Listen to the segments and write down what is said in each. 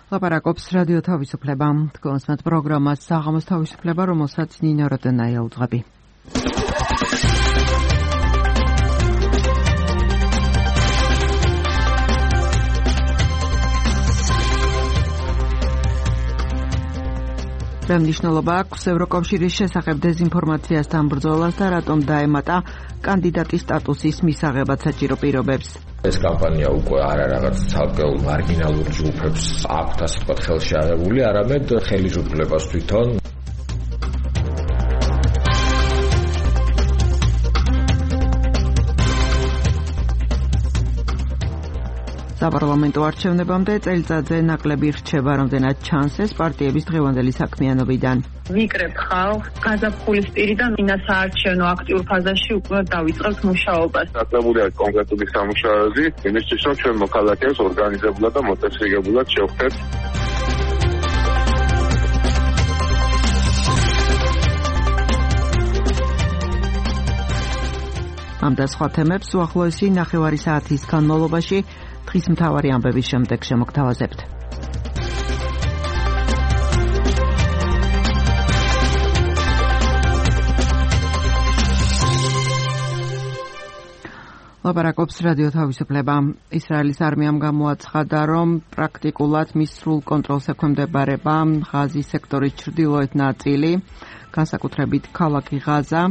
ლაპარაკობს რადიო თავისუფლება. თქვენს პროგრამას საღამოს თავისუფლება, რომელსაც ნინო როდენაია უძღვები. მნიშვნელობა აქვს ევროკავშირის შესახებ დეზინფორმაციასთან ბრძოლას და რატომ დაემატა კანდიდატის სტატუსის მისაღებად საჭირო პირობებს. ეს კამპანია უკვე არა რაღაც ცალკეულ მარგინალურ ჯგუფებს აქვთ ასე ვთქვათ ხელში აღებული, არამედ ხელისუფლებას თვითონ. საპარლამენტო არჩევნებამდე წელიწადზე ნაკლები რჩება, რამდენად ჩანს ეს პარტიების დღევანდელი საქმიანობიდან. ვიკრებ ხალხს გაზაფხულის პირიდან საარჩევნო აქტიურ ფაზაში უკვე დავიწყებთ მუშაობას. დაწყებული არის კონკრეტული სამუშაოები, იმისთვის რომ ჩვენ მოქალაქეებს ორგანიზებულად და მოწესრიგებულად შევხვდეთ. ამ და სხვა თემებს უახლოესი ნახევარი საათის განმავლობაში დღის მთავარი ამბების შემდეგ შემოგთავაზებთ. ლაპარაკობს რადიო თავისუფლება. ისრაელის არმიამ გამოაცხადა, რომ პრაქტიკულად მის სრულ კონტროლს ექვემდებარება ღაზის სექტორის ჩრდილოეთ ნაწილი, განსაკუთრებით ქალაქი ღაზა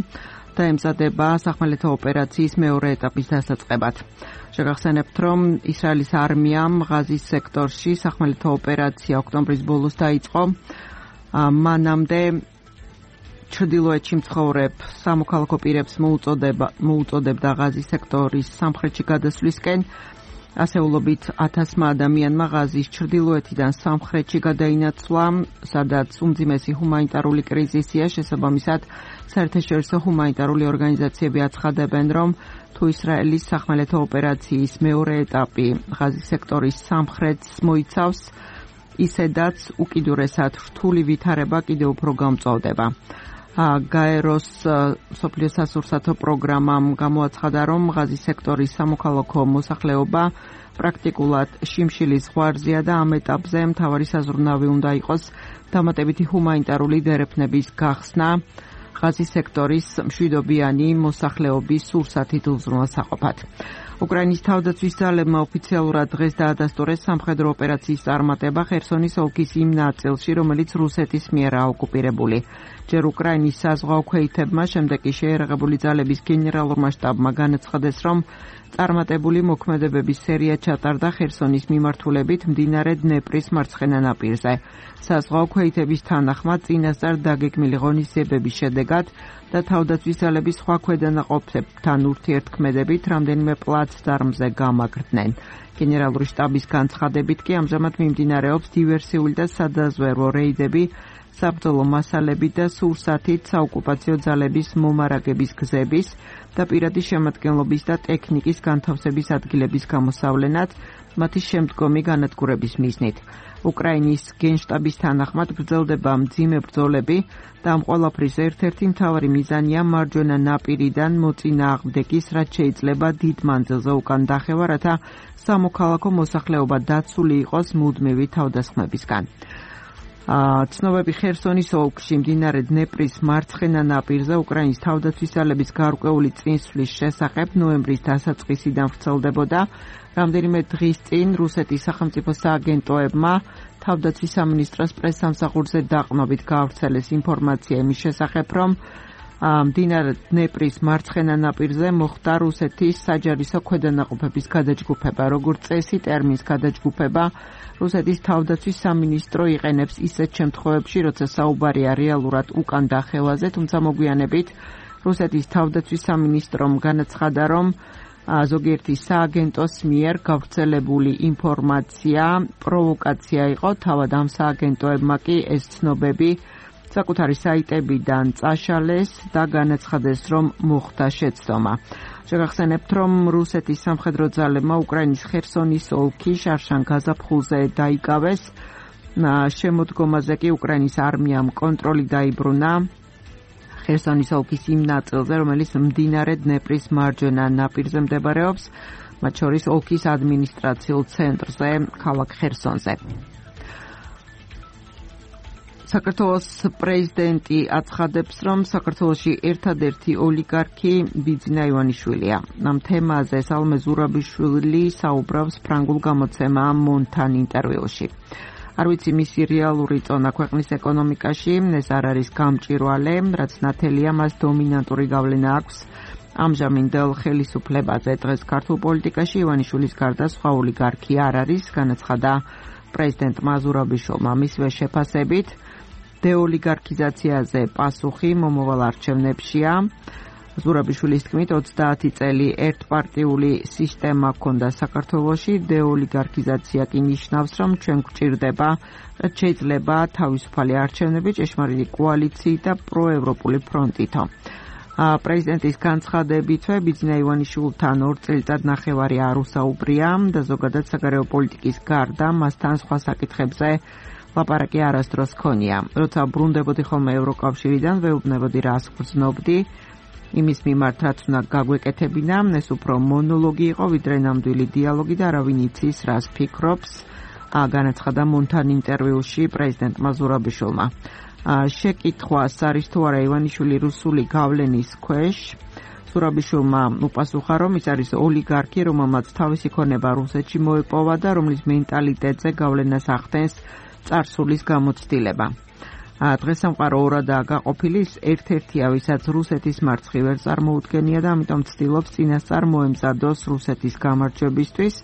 და ემზადება სახმელეთო ოპერაციის მეორე ეტაპის დასაწყებად. შეგახსენებთ, რომ ისრაელის არმიამ ღაზის სექტორში სახმელეთო ოპერაცია ოქტომბრის ბოლოს დაიწყო. მანამდე ჩრდილოეთში მცხოვრებ სამოქალაქო პირებს მოუწოდებდა ღაზის სექტორის სამხრეთში გადასვლისკენ. ასეულობით 1000 ადამიანმა ღაზის ჩრდილოეთიდან სამხრეთში გადაინაცვლა, სადაც უმძიმესი ჰუმანიტარული კრიზისია. შესაბამისად, საერთაშორისო ჰუმანიტარული ორგანიზაციები აცხადებენ, რომ თუ ისრაელის სახმელეთო ოპერაციის მეორე ეტაპი ღაზის სექტორის სამხრეთს მოიცავს, ისედაც უკიდურესად რთული ვითარება კიდევ უფრო გამწვავდება. გაეროს მსოფლიო სასურსათო პროგრამამ გამოაცხადა, რომ ღაზის სექტორის სამოქალაქო მოსახლეობა პრაქტიკულად შიმშილის ზღვარზეა და ამ ეტაპზე მთავარი საზრუნავი უნდა იყოს დამატებითი ჰუმანიტარული დერეფნების გახსნა ღაზის სექტორის მშვიდობიანი მოსახლეობის სურსათით უზრუნველსაყოფად. უკრაინის თავდაცვის ძალებმა ოფიციალურად დღეს დაადასტურეს სამხედრო ოპერაციის წარმატება ხერსონის ოლქის იმ ნაწილში, რომელიც რუსეთის მიერაა ოკუპირებული. ჯერ უკრაინის საზღვაო ქვეითებმა, შემდეგ კი შეიარაღებული ძალების გენერალურმა შტაბმა განაცხადეს, რომ წარმატებული მოქმედებების სერია ჩატარდა ხერსონის მიმართულებით მდინარე დნეპრის მარცხენა ნაპირზე. საზღვაო ქვეითების თანახმად წინასწარ დაგეგმილი ღონისძიებების შედეგად და თავდაცვის ძალების სხვა ქვედანაყოფებთან ურთიერთქმედებით რამდენიმე პლაცდარმზე გამაგრდნენ. გენერალური შტაბის განცხადებით კი ამჟამად მიმდინარეობს დივერსიული და სადაზვერვო რეიდები საბრძოლო მასალები და სურსათით საოკუპაციო ძალების მომარაგების გზების და პირადი შემადგენლობის და ტექნიკის განთავსების ადგილების გამოსავლენად მათი შემდგომი განადგურების მიზნით. უკრაინის გენშტაბის თანახმად გრძელდება მძიმე ბრძოლები და ამ ყველაფრის ერთ-ერთი მთავარი მიზანია მარჯვენა ნაპირიდან მოწინააღმდეგის რაც შეიძლება დიდ მანძილზე უკან დახევა, რათა სამოქალაქო მოსახლეობა დაცული იყოს მუდმივი თავდასხმებისგან. ცნობები ხერსონის ოლქში მდინარე დნეპრის მარცხენა ნაპირზე უკრაინის თავდაცვის ძალების გარკვეული წინსვლის შესახებ ნოემბრის დასაწყისიდან ვრცელდებოდა. რამდენიმე დღის წინ რუსეთის სახელმწიფო სააგენტოებმა თავდაცვის სამინისტროს პრესსამსახურზე დაყრდნობით გაავრცელეს ინფორმაცია იმის შესახებ, რომ მდინარე დნეპრის მარცხენა ნაპირზე მოხდა რუსეთის საჯარისო ქვედანაყოფების გადაჯგუფება. როგორც წესი, ტერმინს გადაჯგუფება რუსეთის თავდაცვის სამინისტრო იყენებს ისეთ შემთხვევებში, როცა საუბარია რეალურად უკან დახევაზე, თუმცა მოგვიანებით რუსეთის თავდაცვის სამინისტრომ განაცხადა, რომ ზოგიერთი სააგენტოს მიერ გავრცელებული ინფორმაცია პროვოკაცია იყო. თავად ამ სააგენტოებმა კი ეს ცნობები საკუთარი საიტებიდან წაშალეს და განაცხადეს, რომ მოხდა შეცდომა. შეგახსენებთ, რომ რუსეთის სამხედრო ძალებმა უკრაინის ხერსონის ოლქი შარშან გაზაფხულზე დაიკავეს. შემოდგომაზე კი უკრაინის არმიამ კონტროლი დაიბრუნა ხერსონის ოლქის იმ ნაწილზე, რომელიც მდინარე დნეპრის მარჯვენა ნაპირზე მდებარეობს, მათ შორის ოლქის ადმინისტრაციულ ცენტრზე, ქალაქ ხერსონზე. საქართველოს პრეზიდენტი აცხადებს, რომ საქართველოში ერთადერთი ოლიგარქი ბიძინა ივანიშვილია. ამ თემაზე სალომე ზურაბიშვილი საუბრობს ფრანგულ გამოცემა მონთან ინტერვიუში. არ ვიცი მისი რეალური წონა ქვეყნის ეკონომიკაში, ეს არ არის გამჭვირვალე, რაც ნათელია მას დომინანტური გავლენა აქვს ამჟამინდელ ხელისუფლებაზე. დღეს ქართულ პოლიტიკაში ივანიშვილის გარდა სხვა ოლიგარქი არ არის, განაცხადა პრეზიდენტმა ზურაბიშვილმა. მისვე შეფასებით დეოლიგარქიზაციაზე პასუხი მომავალ არჩევნებშია. ზურაბიშვილის თქმით 30 წელი ერთპარტიული სისტემა ჰქონდა საქართველოში, დეოლიგარქიზაცია კი ნიშნავს, რომ ჩვენ გვჭირდება, რაც შეიძლება თავისუფალი არჩევნები, ჭეშმარიტი კოალიციით და პროევროპული ფრონტითო. პრეზიდენტის განცხადებითვე ბიძინა ივანიშვილთან 2 წელიწად ნახევარი არ უსაუბრია და ზოგადად საგარეო პოლიტიკის გარდა მასთან სხვა საკითხებზე ლაპარაკი არასდროს ჰქონია. როცა ბრუნდებოდი ხოლმე ევროკავშირიდან, ვეუბნებოდი რას გრძნობდი, იმის მიმართ რაც უნდა გაგვეკეთებინა, ეს უფრო მონოლოგი იყო, ვიდრე ნამდვილი დიალოგი და არავინ იცის რას ფიქრობს, განაცხადა მონთან ინტერვიუში პრეზიდენტმა ზურაბიშვილმა. შეკითხვას არის თუ არა ივანიშვილი რუსული გავლენის ქვეშ, ზურაბიშვილმა უპასუხა, რომ ის არის ოლიგარქი, რომელმაც თავისი ქონება რუსეთში მოეპოვა და რომლის მენტალიტეტზე გავლენას ახდენს წარსულის გამოცდილება. დღეს სამყარო ორადაა გაყოფილი, ერთ-ერთია, ვისაც რუსეთის მარცხი ვერ წარმოუდგენია და ამიტომ ცდილობს წინასწარ მოემზადოს რუსეთის გამარჯვებისთვის,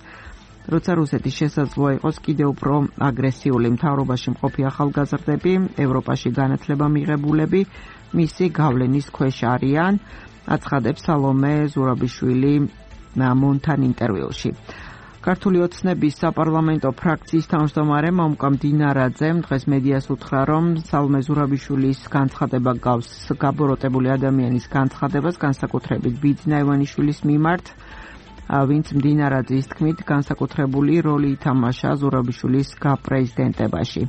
როცა რუსეთის შესაძლოა იყოს კიდევ უფრო აგრესიული. მთავრობაში მყოფი ახალგაზრდები, ევროპაში განათლება მიღებულები მისი გავლენის ქვეშ არიან, აცხადებს სალომე ზურაბიშვილი მონთან ინტერვიუში. ქართული ოცნების საპარლამენტო ფრაქციის თავმჯდომარე მომკამ დინარაძემ დღეს მედიას უთხრა, რომ სალომე ზურაბიშვილის განცხადება გავს გაბოროტებული ადამიანის განცხადებას, განსაკუთრებით ბიძინა ივანიშვილის მიმართ, ვინც მდინარაძის თქმით განსაკუთრებული როლი ითამაშა ზურაბიშვილის გაპრეზიდენტებაში.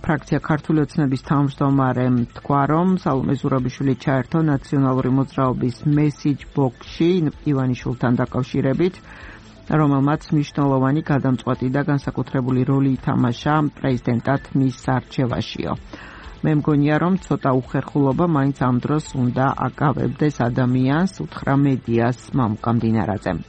ფრაქცია ქართული ოცნების თავმჯდომარემ თქვა, რომ სალომე ზურაბიშვილი ჩაერთო ნაციონალური მოძრაობის მესიჯ ბოქსში ივანიშვილთან დაკავშირებით, რომელმაც მნიშვნელოვანი გადამწყვეტი და განსაკუთრებული როლი ითამაშა პრეზიდენტად მის არჩევაშიო. მე მგონია, რომ ცოტა უხერხულობა მაინც ამ დროს უნდა აკავებდეს ადამიანს, უთხრა მედიას მომკამ დინარაძემ.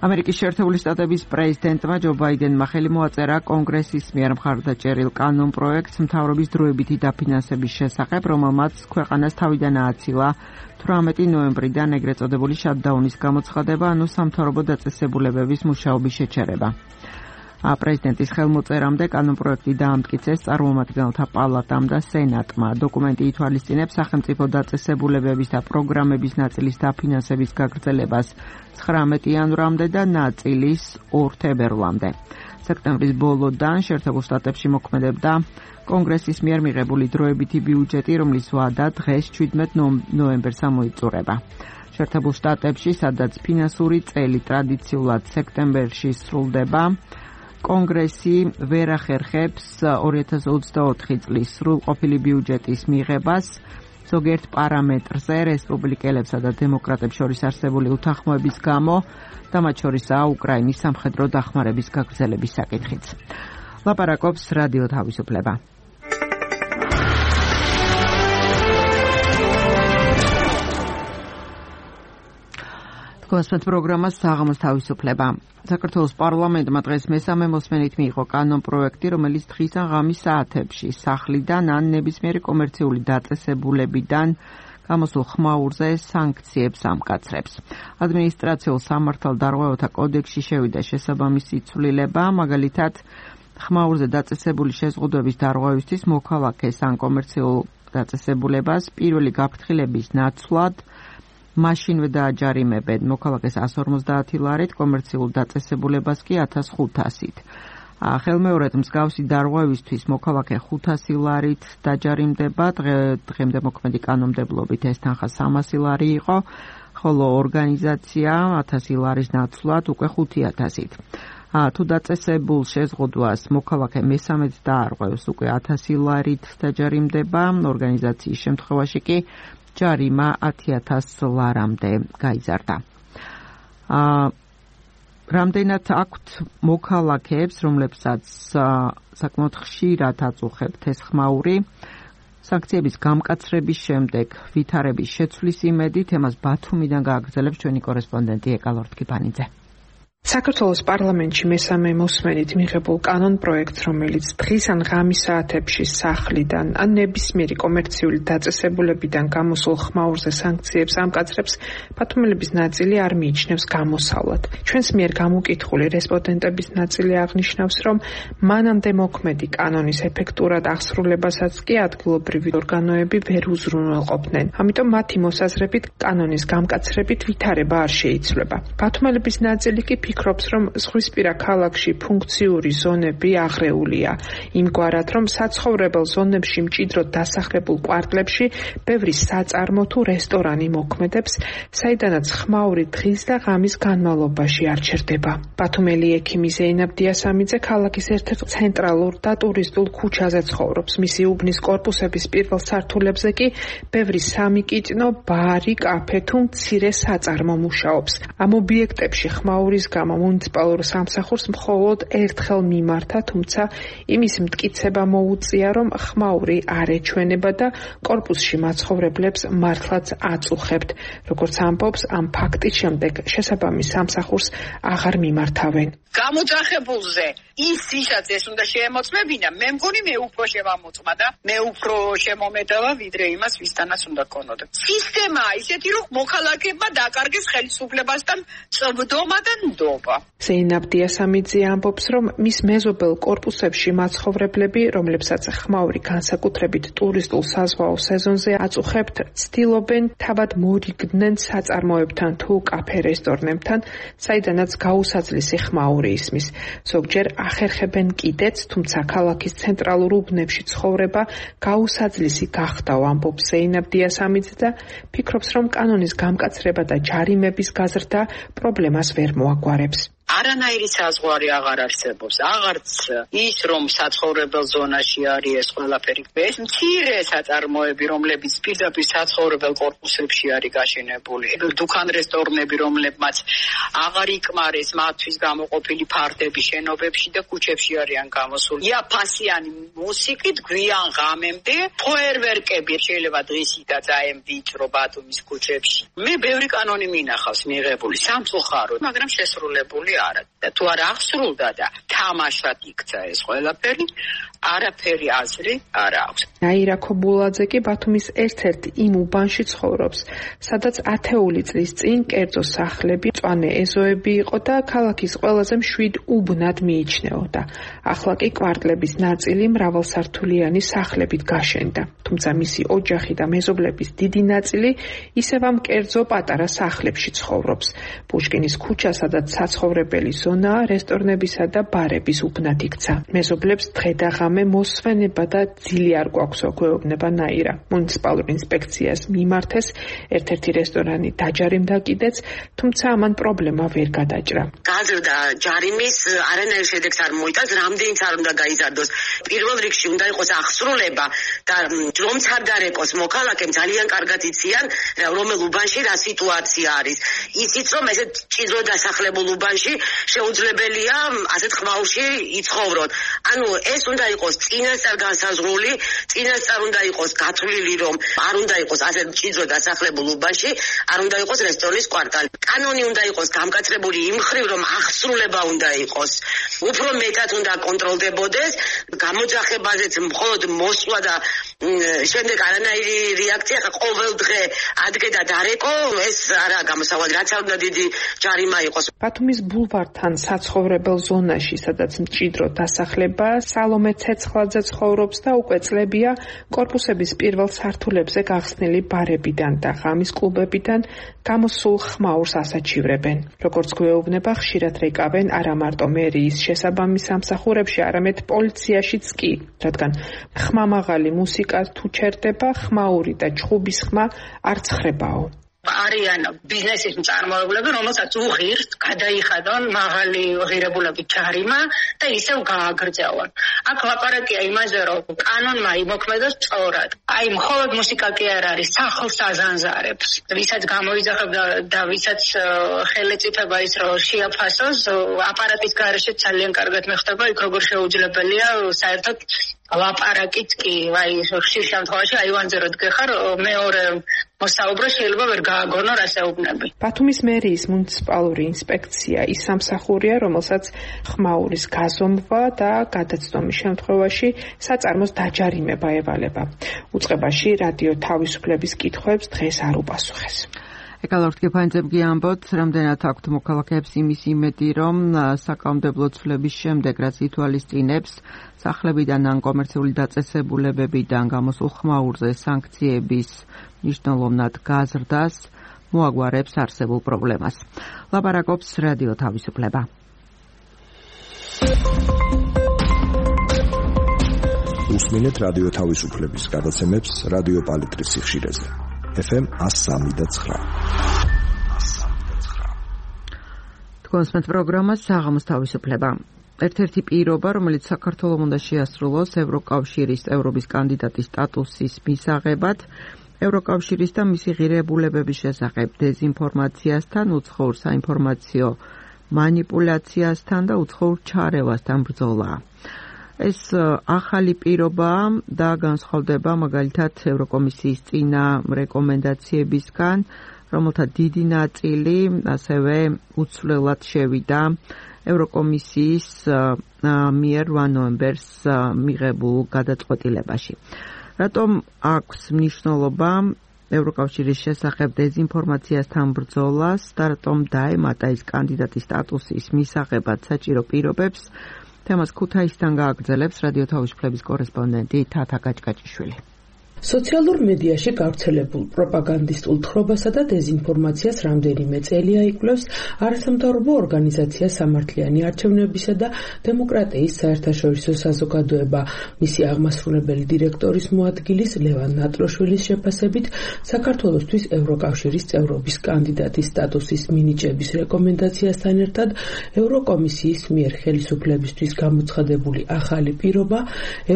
ამერიკის შეერთებული შტატების პრეზიდენტმა ჯო ბაიდენმა ხელი მოაწერა კონგრესის მიერ მხარდაჭერილ კანონპროექტს მთავრობის დროებითი დაფინანსების შესახებ, რომელმაც ქვეყანას თავიდან ააცილა 18 ნოემბრიდან ეგრეთ წოდებული შატდაუნის გამოცხადება, ანუ სამთავრობო დაწესებულებების მუშაობის შეჩერება. პრეზიდენტის ხელმოწერამდე კანონპროექტი დაამტკიცეს წარმომადგენელთა პალატამ და სენატმა. დოკუმენტი ითვალისწინებს სახელმწიფო დაწესებულებების და პროგრამების ნაწილის დაფინანსების გაგრძელებას 19 იანვრამდე და ნაწილის 2 თებერვლამდე. სექტემბრის ბოლოდან შეერთებულ შტატებში მოქმედებდა კონგრესის მიერ მიღებული დროებითი ბიუჯეტი, რომლის ვადა დღეს 17 ნოემბერს ამოიწურება. შეერთებულ შტატებში, სადაც ფინანსური წელი ტრადიციულად სექტემბერში სრულდება, კონგრესი ვერ ახერხებს 2024 წლის სრულყოფილი ბიუჯეტის მიღებას. ზოგიერთ პარამეტრზე რესპუბლიკელებსა და დემოკრატებს შორის არსებული უთანხმოების გამო და მათ შორისაა უკრაინის სამხედრო დახმარების გაგრძელების საკითხიც. ლაპარაკობს რადიო თავისუფლება. გასვეთ პროგრამას საღამოს თავისუფლება. საქართველოს პარლამენტმა დღეს მესამე მოსმენით მიიღო კანონპროექტი, რომელიც დღის ან ღამის საათებში სახლიდან ან ნებისმიერი კომერციული დაწესებულებიდან გამოსულ ხმაურზე სანქციებს ამკაცრებს. ადმინისტრაციულ სამართალდარღვევათა კოდექსში შევიდა შესაბამისი ცვლილება, მაგალითად, ხმაურზე დაწესებული შეზღუდვების დარღვევისთვის მოქალაქეს ან კომერციულ დაწესებულებას პირველი გაფრთხილების ნაცვლად მაშინვე დააჯარიმებენ მოქალაქეს 150 ლარით, კომერციულ დაწესებულებას კი 1500-ით. ხელმეორედ მსგავსი დარღვევისთვის მოქალაქე 500 ლარით დაჯარიმდება, დღემდე მოქმედი კანონმდებლობით ეს თანხა 300 ლარი იყო, ხოლო ორგანიზაცია 1000 ლარის ნაცვლად უკვე 5000-ით. თუ დაწესებულ შეზღუდვას მოქალაქე მესამედ დაარღვევს, უკვე 1000 ლარით დაჯარიმდება, ორგანიზაციის შემთხვევაში კი ჯარიმა 10000 ლარამდე გაიზარდა. რამდენად აქვთ მოქალაქეებს, რომლებსაც საკმაოდ ხშირად აწუხებთ ეს ხმაური, სანქციების გამკაცრების შემდეგ ვითარების შეცვლის იმედით, ემას ბათუმიდან გააგრძელებს ჩვენი კორესპონდენტი ეკა ლორთქიფანიძე. საქართველოს პარლამენტში მესამე მოსმენით მიღებულ კანონ პროექტს, რომელიც დღის ან ღამის საათებში სახლიდან ან ნებისმიერი კომერციული დაწესებულებიდან გამოსულ ხმაურზე სანქციებს ამკაცრებს, ბათუმელების ნაწილი არ მიიჩნევს გამოსავლად. ჩვენს მიერ გამოკითხული რესპონდენტების ნაწილი აღნიშნავს, რომ მანამდე მოქმედი კანონის ეფექტურად აღსრულებასაც კი ადგილობრივი ორგანოები ვერ უზრუნველყოფდნენ. ამიტომ მათი მოსაზრებით კანონის გამკაცრებით ვითარება არ შეიცვლება. ბათუმელების ნაწილი კი ფიქრობს, რომ ზღვისპირა ქალაქში ფუნქციური ზონები აღრეულია, იმგვარად, რომ საცხოვრებელ ზონებში მჭიდროდ დასახლებულ კვარტლებში ბევრი საწარმო თუ რესტორანი მოქმედებს, საიდანაც ხმაური დღის და ღამის განმავლობაში არ ჩერდება. ბათუმელი ექიმი ზეინაბ დიასამიძე ქალაქის ერთ-ერთ ცენტრალურ და ტურისტულ ქუჩაზე ცხოვრობს. მისი უბნის კორპუსების პირველ სართულებზე კი ბევრი სამიკიტნო, ბარი, კაფე თუ მცირე საწარმო მუშაობს. ამ ობიექტებში ხმაურის გამო მუნიციპალურ სამსახურს მხოლოდ ერთხელ მიმართა, თუმცა იმის მტკიცება მოუწია, რომ ხმაური არ ეჩვენება და კორპუსში მაცხოვრებლებს მართლაც აწუხებთ. როგორც ამბობს, ამ ფაქტის შემდეგ შესაბამის სამსახურს აღარ მიმართავენ. გამოძახებულზე ის ვისაც ეს უნდა შეემოწმებინა, მე მგონი მე უფრო შემამოწმა და მე უფრო შემომედავა ვიდრე იმას ვისთანაც უნდა ქონოდა. სისტემაა ისეთი, რომ მოქალაქეებმა დაკარგეს ხელისუფლებასთან წვდომა და ნდობა. ზეინაბ დიასამიძე ამბობს, რომ მის მეზობელ კორპუსებში მაცხოვრებლები, რომლებსაც ხმაური განსაკუთრებით ტურისტულ საზღვაო სეზონზე აწუხებთ, ცდილობენ თავად მორიგდნენ საწარმოებთან თუ კაფე რესტორნებთან, საიდანაც გაუსაძლისი ხმაური ისმის. ზოგჯერ ახერხებენ კიდეც, თუმცა ქალაქის ცენტრალურ უბნებში ცხოვრება გაუსაძლისი გახდაო, ამბობს ზეინაბ დიასამიძე და ფიქრობს, რომ კანონის გამკაცრება და ჯარიმების გაზრდა პრობლემას ვერ მოაგვარებს. არანაირი საზღვარი აღარ არსებობს. აღარც ის, რომ საცხოვრებელ ზონაში არის ეს ყველაფერი. ეს მცირე საწარმოები, რომლებიც პირდაპირ საცხოვრებელ კორპუსებში არის გაშენებული. დუქან რესტორნები, რომლებმაც აღარ იკმარეს მათთვის გამოყოფილი ფარდები შენობებში და ქუჩებში არიან გამოსული. იაფასიანი მუსიკით გვიან ღამემდე ფოიერვერკები შეიძლება დღისითაც აემ ვიწრო ბათუმის ქუჩებში. მე ბევრი კანონი მინახავს მიღებული სამწუხაროდ, მაგრამ შესრულებული არა. და თუ არ აღსრულდა და თამაშად იქცა ეს ყველაფერი, არაფერი აზრი არ აქვს. ნაირა ქობულაძე კი ბათუმის ერთ-ერთ იმ უბანში ცხოვრობს, სადაც ათეული წლის წინ კერძო სახლები, მწვანე ეზოები იყო და ქალაქის ყველაზე მშვიდ უბნად მიიჩნეოდა. ახლა კი კვარტლების ნაწილი მრავალსართულიანი სახლებით გაშენდა. თუმცა მისი ოჯახი და მეზობლების დიდი ნაწილი ისევ ამ კერძო პატარა სახლებში ცხოვრობს. პუშკინის ქუჩა, სადაც საცხოვრებელი ზონა, რესტორნებისა და ბარების უბნად იქცა. მეზობლებს დღე და ღამე მოსვენება და ძილი არ გვაქვსო, გვეუბნება ნაირა. მუნიციპალურ ინსპექციას მიმართეს, ერთ-ერთი რესტორანი დაჯარიმდა კიდეც, თუმცა ამან პრობლემა ვერ გადაჭრა. გაზრდა ჯარიმის არანაირ შედეგს არ მოიტანს, რამდენიც არ უნდა გაიზარდოს. პირველ რიგში უნდა იყოს აღსრულება და რომც არ დარეკოს მოქალაქემ ძალიან კარგად იციან, რომელ უბანში რა სიტუაცია არის. ისიც რომ ესეთ ჭიდრო დასახლებულ უბანში შეუძლებელია ასეთ ხმაურში იცხოვრონ. ანუ ეს უნდა იყოს წინასწარ განსაზღვრული, წინასწარ უნდა იყოს გათვლილი, რომ არ უნდა იყოს ასეთ ჭიდრო დასახლებულ უბანში, არ უნდა იყოს რესტორნის კვარტალი. კანონი უნდა იყოს გამკაცრებული იმ მხრივ, რომ აღსრულება უნდა იყოს. უფრო მეტად უნდა კონტროლდებოდეს, გამოძახებაზეც მხოლოდ მოსვლა და შემდეგ არანაირი რეაქცია, ყოველ დღე ადგე და დარეკო, ეს არა გამოსავალი, რაც არ უნდა დიდი ჯარიმა იყოს. ბათუმის ბულვართან საცხოვრებელ ზონაში, სადაც მჭიდრო დასახლება, სალომე ცეცხლაძე ცხოვრობს და უკვე წლებია კორპუსების პირველ სართულებზე გახსნილი ბარებიდან და ღამის კლუბებიდან გამოსულ ხმაურს ასაჩივრებენ. როგორც გვეუბნება, ხშირად რეკავენ არა მარტო მერიის შესაბამის სამსახურებში, არამედ პოლიციაშიც კი, რადგან ხმამაღალი მუსიკა თუ ჩერდება, ხმაური და ჩხუბის ხმა არ ცხრებაო. არიან ბიზნესის მწარმოებლები, რომელსაც უღირთ გადაიხადონ მაღალი ღირებულებით ჯარიმა და ისევ გააგრძელონ. აქ ლაპარაკია იმაზე, რომ კანონმა იმოქმედოს სწორად. აი, მხოლოდ მუსიკა კი არ არის, სახლს აზანზარებს. ვისაც გამოიძახებდა და ვისაც ხელეწიფება ის რომ შეაფასოს, აპარატის გარეშე ძალიან კარგად მეხდება, იქ როგორ შეუძლებელია საერთოდ ლაპარაკიც კი, აი, ხშირ შემთხვევაში აივანზე რო დგეხარ, მეორე მოსაუბრე შეიძლება ვერ გააგონო რასეუბნები. ბათუმის მერიის მუნიციპალური ინსპექცია ის სამსახურია, რომელსაც ხმაურის გაზომვა და გადაცდომის შემთხვევაში საწარმოს დაჯარიმება ევალება. უწყებაში რადიო თავისუფლების კითხვებს დღეს არ უპასუხეს. ეკალორთ გეფანძემ გიამბოთ, რამდენად აქვთ მოქალაქეებს იმის იმედი, რომ საკანონმდებლო ცვლილების შემდეგ, რაც ითვალისწინებს სახლებიდან ან კომერციული დაწესებულებებიდან გამოსულ ხმაურზე სანქციების მნიშვნელოვნად გაზრდას, მოაგვარებს არსებულ პრობლემას. ლაპარაკობს რადიო თავისუფლება. უსმინეთ რადიო თავისუფლების გადაცემებს რადიო პალიტრის სიხშირეზე. FM 103.9. თქვენს პროგრამას საღამოს თავისუფლება. ერთ-ერთი პირობა, რომელიც საქართველოს უნდა შეასრულოს ევროკავშირის წევრობის კანდიდატის სტატუსის მისაღებად, ევროკავშირის და მისი ღირებულებების შესახებ დეზინფორმაციასთან, უცხოურ საინფორმაციო მანიპულაციასთან და უცხოურ ჩარევასთან ბრძოლა. ეს ახალი პირობა და განსხვავდება მაგალითად ევროკომისიის წინა რეკომენდაციებისგან, რომელთა დიდი ნაწილი ასევე უცვლელად შევიდა ევროკომისიის მიერ 8 ნოემბერს მიღებულ გადაწყვეტილებაში. რატომ აქვს მნიშვნელობა ევროკავშირის შესახებ დეზინფორმაციასთან ბრძოლას და რატომ დაემატა ის კანდიდატის სტატუსის მისაღებად საჭირო პირობებს? თემას ქუთაისიდან გააგრძელებს რადიო თავისუფლების კორესპონდენტი თათა გაჭკაჭიშვილი. სოციალურ მედიაში გავრცელებულ პროპაგანდისტულ თხრობასა და დეზინფორმაციას რამდენიმე წელია იკვლევს არასამთავრობო ორგანიზაცია სამართლიანი არჩევნებისა და დემოკრატიის საერთაშორისო საზოგადოება. მისი აღმასრულებელი დირექტორის მოადგილის ლევან ნატროშვილის შეფასებით, საქართველოსთვის ევროკავშირის წევრობის კანდიდატის სტატუსის მინიჭების რეკომენდაციასთან ერთად ევროკომისიის მიერ ხელისუფლებისთვის გამოცხადებული ახალი პირობა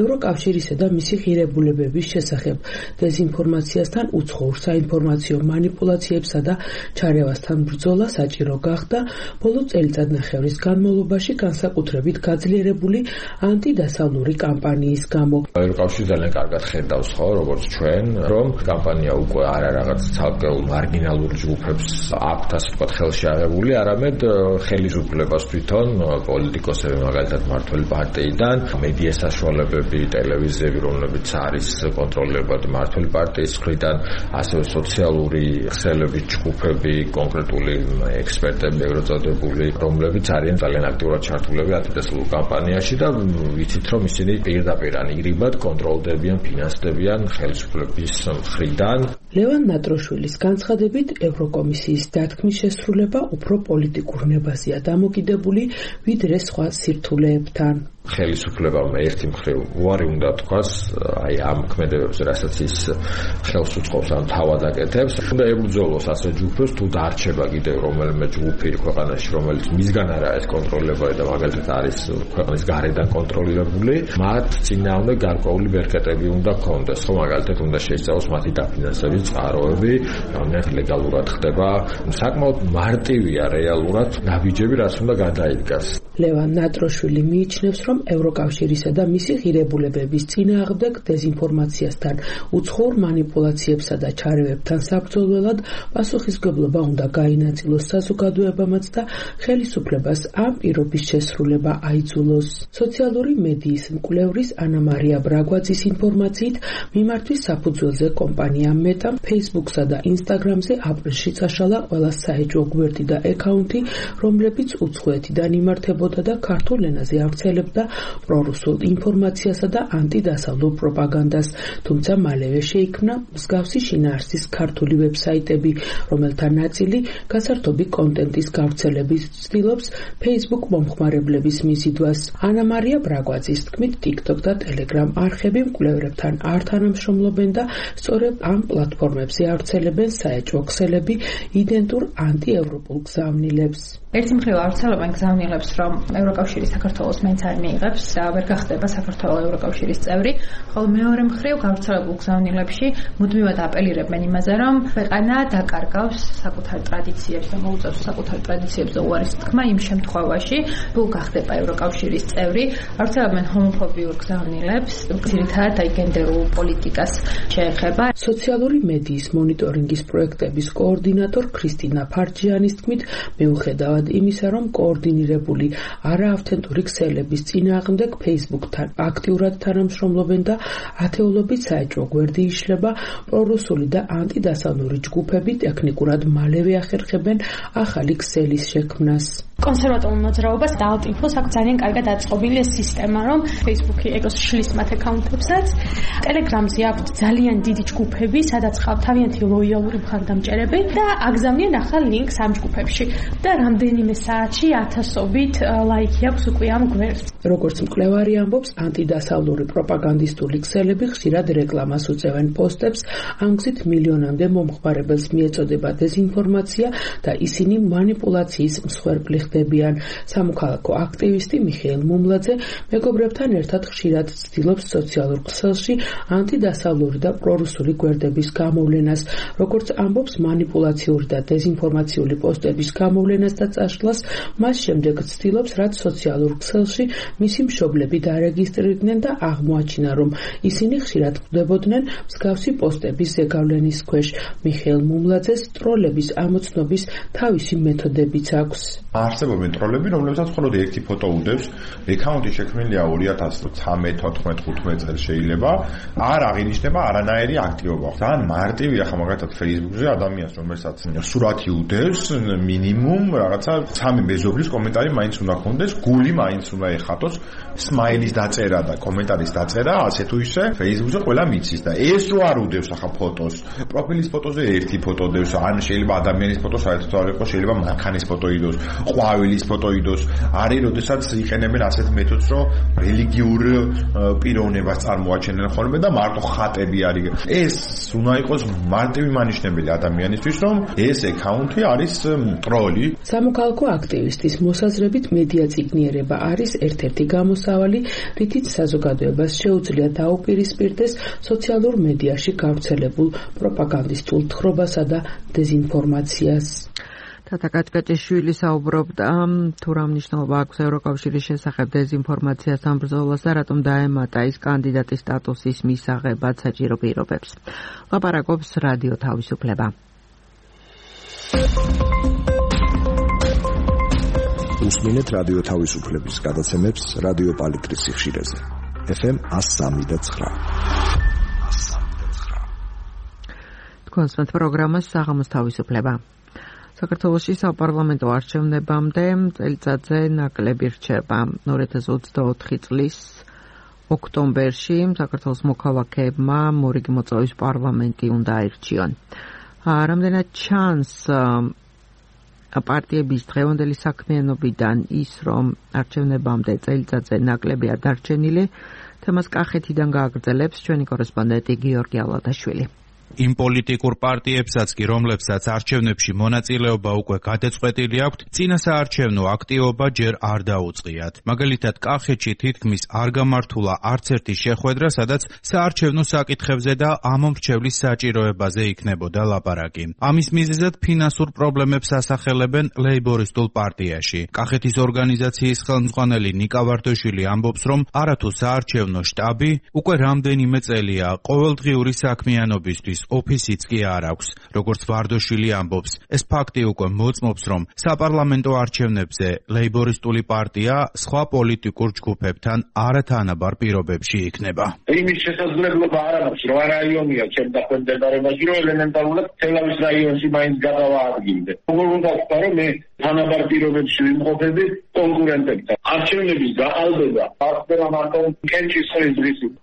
ევროკავშირისა და მისი ღირებულებების შესახებ დეზინფორმაციასთან, უცხოურ საინფორმაციო მანიპულაციებსა და ჩარევასთან ბრძოლა საჭირო გახდა ბოლო წელიწადნახევრის განმავლობაში განსაკუთრებით გაძლიერებული ანტიდასავლური კამპანიის გამო. ევროკავშირი ძალიან კარგად ხედავს ხო, როგორც ჩვენ, რომ კამპანია უკვე არა რაღაც ცალკეულ მარგინალურ ჯგუფებს აქვთ ასე ვთქვათ ხელში აღებული, არამედ ხელისუფლებას თვითონ პოლიტიკოსები, მაგალითად მმართველი პარტიიდან, მედია საშუალებები, ტელევიზიები, რომლებიც არის კონტროლირებული მმართველი პარტიის მხრიდან, ასევე სოციალური ქსელების ჯგუფები, კონკრეტული ექსპერტები, ეგრეთ წოდებული, რომლებიც არიან ძალიან აქტიურად ჩართულები ანტიდასავლურ კამპანიაში და ვიცით, რომ ისინი პირდაპირ ან იგრიბად კონტროლდებიან, ფინანსდებიან ხელისუფლების მხრიდან. ლევან ნატროშვილის განცხადებით, ევროკომისიის დათქმის შესრულება უფრო პოლიტიკურ ნებაზეა დამოკიდებული, ვიდრე სხვა სირთულეებთან. ხელისუფლებამ ერთი მხრივ უარი უნდა თქვას აი ამ ქმედებებზე, რასაც ის ხელს უწყობს ამ თავად აკეთებს, უნდა ებრძოლოს ასე ჯგუფებს, თუ დარჩება კიდევ რომელიმე ჯგუფი ქვეყანაში, რომელიც მისგან არა ეს კონტროლება და მაგალითად არის ქვეყნის გარედან კონტროლირებული, მათ წინააღმდეგ გარკვეული ბერკეტები უნდა ქონდეს, ხო, მაგალითად უნდა შეისწავლოს მათი დაფინანსების წყაროები, რამდენად ლეგალურად ხდება, საკმაოდ მარტივია რეალურად ნაბიჯები, რაც უნდა გადაიდგას. ლევან ნატროშვილი მიიჩნევს, რომ ევროკავშირისა და მისი ღირებულებების წინააღმდეგ დეზინფორმაციასთან, უცხოურ მანიპულაციებსა და ჩარევებთან საბრძოლველად პასუხისმგებლობა უნდა გაინაწილოს საზოგადოებამაც და ხელისუფლებას ამ პირობის შესრულება აიძულოს. სოციალური მედიის მკვლევრის ანა მარია ბრაგვაძის ინფორმაციით, მიმართვის საფუძველზე კომპანია მეტამ Facebook-სა და Instagram-ზე აპრილში წაშალა ყველა საეჭვო გვერდი და აკაუნთი, რომლებიც უცხოეთიდან იმართებოდა ეხმარებოდა და ქართულ ენაზე ავრცელებდა პრორუსულ ინფორმაციასა და ანტიდასავლურ პროპაგანდას, თუმცა მალევე შეიქმნა მსგავსი შინაარსის ქართული ვებსაიტები, რომელთა ნაწილი გასართობი კონტენტის გავრცელების ცდილობს Facebook მომხმარებლების მიზიდვას. ანა მარია ბრაგვაძის თქმით, TikTok და Telegram არხები მკვლევრებთან არ თანამშრომლობენ და სწორედ ამ პლატფორმებზე ავრცელებენ საეჭვო ქსელები იდენტურ ანტიევროპულ გზავნილებს. ერთი მხრივ ავრცელებენ გზავნილებს, რომ ევროკავშირი საქართველოს მაინც არ მიიღებს, ვერ გახდება საქართველოს ევროკავშირის წევრი, ხოლო მეორე მხრივ გავრცელებულ გზავნილებში მუდმივად აპელირებენ იმაზე, რომ ქვეყანა დაკარგავს საკუთარ ტრადიციებს და მოუწევს საკუთარ ტრადიციებზე უარის თქმა იმ შემთხვევაში, თუ გახდება ევროკავშირის წევრი. ავრცელებენ ჰომოფობიურ გზავნილებს, ძირითადად გენდერულ პოლიტიკას შეეხება. სოციალური მედიის მონიტორინგის პროექტების კოორდინატორ ქრისტინა ფარჯიანის თქმით, მიუხედავად იმისა, რომ კოორდინირებული არაავთენტური ქსელების წინააღმდეგ Facebook-თან აქტიურად თანამშრომლობენ და ათეულობით საეჭვო გვერდი იშლება, პრორუსული და ანტიდასავლური ჯგუფები ტექნიკურად მალევე ახერხებენ ახალი ქსელის შექმნას. კონსერვატიულ მოძრაობას და ალტ-ინფოს აქვს ძალიან კარგად აწყობილი სისტემა, რომ Facebook-ი ეგროს შლის მათ აკაუნტებსაც. Telegram-ზე აქვს ძალიან დიდი ჯგუფები, სადაც ყავთ თავიანთი ლოიალური მხარდამჭერები და აგზავნიან ახალ ლინკს ამ ჯგუფებში და რამდენიმე საათში ათასობით ლაიქი აქვს უკვე ამ გვერდს. როგორც მკვლევარი ამბობს, ანტიდასავლური პროპაგანდისტული ქსელები ხშირად რეკლამას უწევენ პოსტებს, ამ გზით მილიონამდე მომხმარებელს მიეწოდება დეზინფორმაცია და ისინი მანიპულაციის მსხვერპლი ხდებიან. სამოქალაქო აქტივისტი მიხეილ მუმლაძე მეგობრებთან ერთად ხშირად ცდილობს სოციალურ ქსელში ანტიდასავლური და პრორუსული გვერდების გამოვლენას, როგორც ამბობს, მანიპულაციური და დეზინფორმაციული პოსტების გამოვლენას და წაშლას მას შემდეგ ცდილობს, რაც სოციალურ ქსელში მისი მშობლები დარეგისტრირდნენ და აღმოაჩინა, რომ ისინი ხშირად ხვდებოდნენ მსგავსი პოსტების ზეგავლენის ქვეშ. მიხეილ მუმლაძეს ტროლების ამოცნობის თავისი მეთოდებიც აქვს. არსებობენ ტროლები, რომლებსაც მხოლოდ ერთი ფოტო უდევს, აკაუნტი შექმნილია 2013-14-15 წელს შეიძლება, არ აღინიშნება არანაირი აქტივობა. ძალიან მარტივია ხა მაგალითად Facebook-ზე ადამიანს, რომელსაც სურათი უდევს, მინიმუმ რაღაცა 3 მეზობლის კომენტარი მაინც უნდა ქონდეს, გული მაინც უნდა ეხატოს, სმაილის დაწერა და კომენტარის დაწერა, ასე თუ ისე Facebook-ზე ყველა მიცის და ეს რო არ უდევს ახლა ფოტოს, პროფილის ფოტოზე ერთი ფოტო დევს, ან შეიძლება ადამიანის ფოტო საერთოდ არ იყოს, შეიძლება მანქანის ფოტო იდოს, ყვავილის ფოტო იდოს. არის როდესაც იყენებენ ასეთ მეთოდს, რომ რელიგიურ პიროვნებას წარმოაჩენენ ხოლმე და მარტო ხატები არის. ეს უნდა იყოს მარტივი მანიშნებელი ადამიანისთვის, რომ ეს აკაუნტი არის ტროლი. სამოქალაქო აქტივისტის მოსაზრებით მედია წიგნიერება არის ერთ-ერთი გამოსავალი, რითიც საზოგადოებას შეუძლია დაუპირისპირდეს სოციალურ მედიაში გავრცელებულ პროპაგანდისტულ თხრობასა და დეზინფორმაციას. თათა კაჭკაჭიშვილი საუბრობდა, თუ რა მნიშვნელობა აქვს ევროკავშირის შესახებ დეზინფორმაციას ამ ბრძოლას და რატომ დაემატა ის კანდიდატის სტატუსის მისაღებად საჭირო პირობებს. ლაპარაკობს რადიო თავისუფლება. უსმინეთ რადიო თავისუფლების გადაცემებს რადიო პალიტრის სიხშირეზე. FM 103.9. თქვენს პროგრამას საღამოს თავისუფლება. საქართველოში საპარლამენტო არჩევნებამდე წელიწადზე ნაკლები რჩება. 2024 წლის ოქტომბერში საქართველოს მოქალაქეებმა მორიგი მოწვევის პარლამენტი უნდა აირჩიონ. რამდენად ჩანს პარტიების დღევანდელი საქმიანობიდან ის, რომ არჩევნებამდე წელიწადზე ნაკლები არ დარჩენილი, თემას კახეთიდან გააგრძელებს ჩვენი კორესპონდენტი გიორგი ალათაშვილი. იმ პოლიტიკურ პარტიებსაც კი, რომლებსაც არჩევნებში მონაწილეობა უკვე გადაწყვეტილი აქვთ, წინა საარჩევნო აქტივობა ჯერ არ დაუწყიათ. მაგალითად, კახეთში თითქმის არ გამართულა არც ერთი შეხვედრა, სადაც საარჩევნო საკითხებზე და ამომრჩევლის საჭიროებაზე იქნებოდა ლაპარაკი. ამის მიზეზად ფინანსურ პრობლემებს ასახელებენ ლეიბორისტულ პარტიაში. კახეთის ორგანიზაციის ხელმძღვანელი ნიკა ვარდოშვილი ამბობს, რომ არათუ საარჩევნო შტაბი უკვე რამდენიმე წელია ყოველდღიური საქმიანობისთვის არჩევნების ოფისიც კი არ აქვს. როგორც ვარდოშვილი ამბობს, ეს ფაქტი უკვე მოწმობს, რომ საპარლამენტო არჩევნებზე ლეიბორისტული პარტია სხვა პოლიტიკურ ჯგუფებთან არათანაბარ პირობებში იქნება. იმის შესაძლებლობა არ აქვს, რომ რაიონია ჩემ დაქვემდებარებაში, რომ ელემენტარულად თელავის რაიონში მაინც გადავაადგინდე. როგორ უნდა ვთქვა, რომ მე თანაბარ პირობებში ვიმყოფები კონკურენტებთან. არჩევნების გაყალბება ახდება მარტო კენჭის ხრი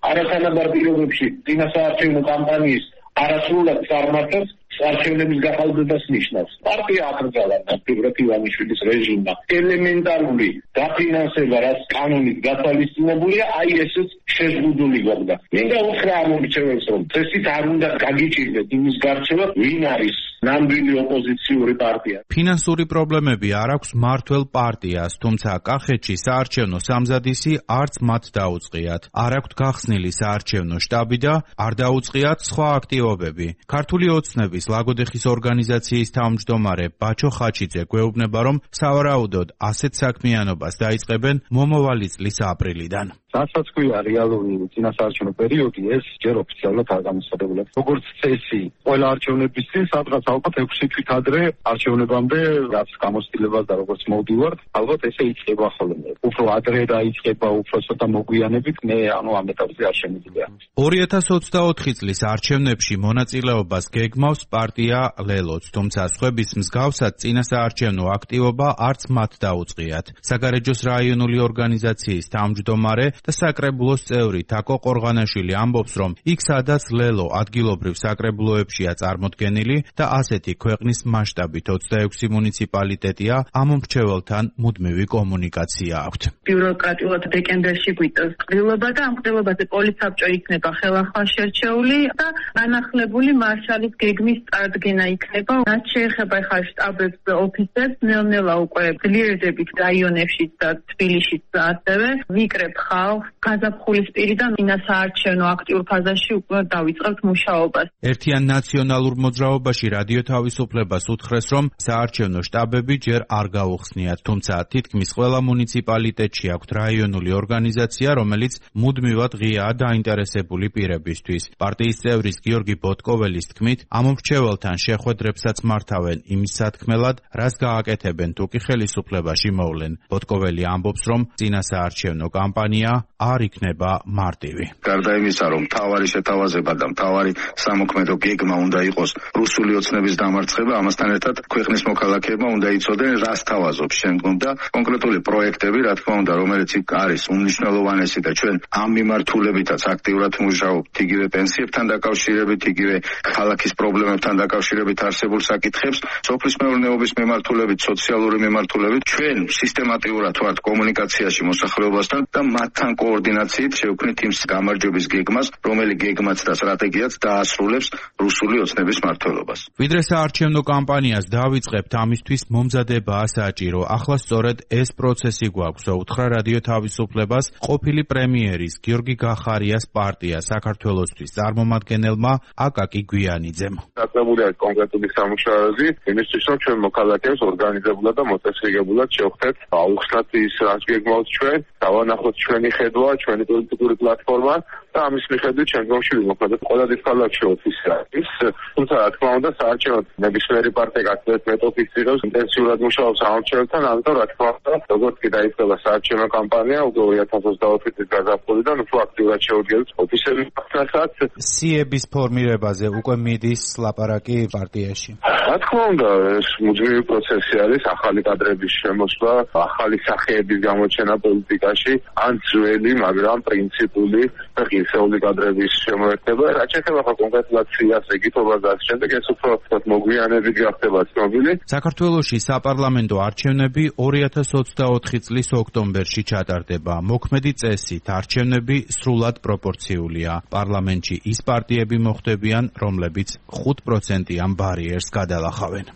არათანაბარ პირობებში წინასაარჩევნო კამპანიის არასრულად წარმართებს არჩევნების გაყალბებას ნიშნავს. პარტია აკრძალა პირველ ივანიშვილის რეჟიმმა ელემენტარული დაფინანსება, რაც კანონით გათვალისწინებულია, აი ესეც შეზღუდული გახდა. მინდა უთხრა ამ მრჩეველს, რომ წესით არ უნდა გაგიჭირდეთ იმის გარჩევა, ვინ არის ნამდვილი ოპოზიციური პარტია. ფინანსური პრობლემები არ აქვს მმართველ პარტიას, თუმცა კახეთში საარჩევნო სამზადისი არც მათ დაუწყიათ. არ აქვთ გახსნილი საარჩევნო შტაბი და არ დაუწყიათ სხვა აქტივობები. ქართული ოცნების ლაგოდეხის ორგანიზაციის თავმჯდომარე ბაჩო ხაჩიძე გვეუბნება, რომ სავარაუდოდ ასეთ საქმიანობას დაიწყებენ მომავალი წლის აპრილიდან. რასაც ქვია რეალური წინასაარჩევნო პერიოდი, ეს ჯერ ოფიციალურად არ გამოსადებულა. როგორც წესი, ყველა არჩევნების წინ სადღაც ალბათ 6 თვით ადრე არჩევნებამდე რაც გამოცდილებას და როგორც მოვდივართ, ალბათ ესე იწყება ხოლმე. უფრო ადრე დაიწყება, უფრო ცოტა მოგვიანებით, მე ამ ეტაპზე არ შემიძლია. 2024 წლის არჩევნებში მონაწილეობას გეგმავს პარტია ლელოც, თუმცა სხვების მსგავსად წინასაარჩევნო აქტივობა არც მათ დაუწყიათ. საგარეჯოს რაიონული ორგანიზაციის თავმჯდომარე და საკრებულოს წევრი თაკო ყორღანაშვილი ამბობს, რომ იქ სადაც ლელო ადგილობრივ საკრებულოებშია წარმოდგენილი და ასეთი ქვეყნის მასშტაბით 26 მუნიციპალიტეტია, ამ მრჩეველთან მუდმივი კომუნიკაცია აქვთ. ბიუროკრატიულად დეკემბერში გვიწევს ყრილობა და ამ ყრილობაზე პოლიცაბჭო იქნება ხელახლა შერჩეული და განახლებული მარშალის გეგმის წარდგენა იქნება. რაც შეეხება ხა შტაბებს და ოფისებს, ნელ-ნელა უკვე ძლიერდებით რაიონებშიც და თბილისშიც ასევე ვიკრებ ხალხს გაზაფხულისპირიდან წინასაარჩევნო აქტიურ ფაზაში უკვე დავიწყებთ მუშაობას. ერთიან ნაციონალურ მოძრაობაში რადიო თავისუფლებას უთხრეს, რომ საარჩევნო შტაბები ჯერ არ გაუხსნიათ, თუმცა თითქმის ყველა მუნიციპალიტეტში აქვთ რაიონული ორგანიზაცია, რომელიც მუდმივად ღიაა დაინტერესებული პირებისთვის. პარტიის წევრის გიორგი ბოტკოველის თქმით, ამ მრჩეველთან შეხვედრებსაც მართავენ იმის სათქმელად, რას გააკეთებენ თუ კი ხელისუფლებაში მოვლენ. ბოტკოველი ამბობს, რომ წინასაარჩევნო კამპანია არ იქნება მარტივი. გარდა იმისა, რომ მთავარი შეთავაზება და მთავარი სამოქმედო გეგმა უნდა იყოს რუსული ოცნების დამარცხება, ამასთან ერთად ქვეყნის მოქალაქეებმა უნდა იცოდნენ, რას თავაზობს შემდგომ და კონკრეტული პროექტები, რა თქმა უნდა, რომელიც იქ არის უმნიშვნელოვანესი და ჩვენ ამ მიმართულებითაც აქტიურად მუშაობთ, იგივე პენსიებთან დაკავშირებით, იგივე ქალაქის პრობლემებთან დაკავშირებით არსებულ საკითხებს, სოფლის მეურნეობის მიმართულებით, სოციალური მიმართულებით, ჩვენ სისტემატიურად ვართ კომუნიკაციაში მოსახლეობასთან და მათთან კოორდინაციით შევქმნით იმ გამარჯვების გეგმას, რომელიც გეგმაც და სტრატეგიაც დაასრულებს რუსული ოცნების მმართველობას. ვიდრე საარჩევნო კამპანიას დავიწყებთ, ამისთვის მომზადებაა საჭირო. ახლა სწორედ ეს პროცესი გვაქვს, უთხრა რადიო თავისუფლებას ყოფილი პრემიერის გიორგი გახარიას პარტია საქართველოსთვის წარმომადგენელმა აკაკი გვიანიძემ. დაწესებულია კონკრეტული სამუშაოები, იმისთვის რომ ჩვენ მოქალაქეებს ორგანიზებულად და მოწესრიგებულად შევხვდეთ, აუხსნათ ის რაც გეგმავს ჩვენ, დავანახოთ ჩვენი ხედვა, ჩვენი პოლიტიკური პლატფორმა და ამის მიხედვით შემდგომში ვიმოქმედოთ. ყველა ქალაქში ოფისი არის, თუმცა რა თქმა უნდა საარჩევნოდ ნებისმიერი პარტია გასწრებით მეტ-ოფისს იღებს, ინტენსიურად მუშაობს არჩევნებთან, ამიტომ რა თქმა უნდა, როგორც კი დაიწყება საარჩევნო კამპანია, უკვე 2024 წლის გაზაფხულიდან უფრო აქტიურად შევდგებით ოფისების ფასადს. სიების ფორმირებაზე უკვე მიდის ლაპარაკი პარტიაში. რა თქმა უნდა, ეს მუდმივი პროცესი არის, ახალი კადრების შემოსვლა, ახალი სახეების გამოჩენა პოლიტიკაში, ან ძველი, მაგრამ პრინციპული და ღირსეული კადრების შემოერთება. რაც შეეხება კონკრეტულად სიას, ეკითობას და ამ შემდეგ ეს უფრო მოგვიანებით გახდება ცნობილი. საქართველოში საპარლამენტო არჩევნები 2024 წლის ოქტომბერში ჩატარდება. მოქმედი წესით არჩევნები სრულად პროპორციულია. პარლამენტში ის პარტიები მოხვდებიან, რომლებიც 5%-იან ბარიერს გადალახავენ.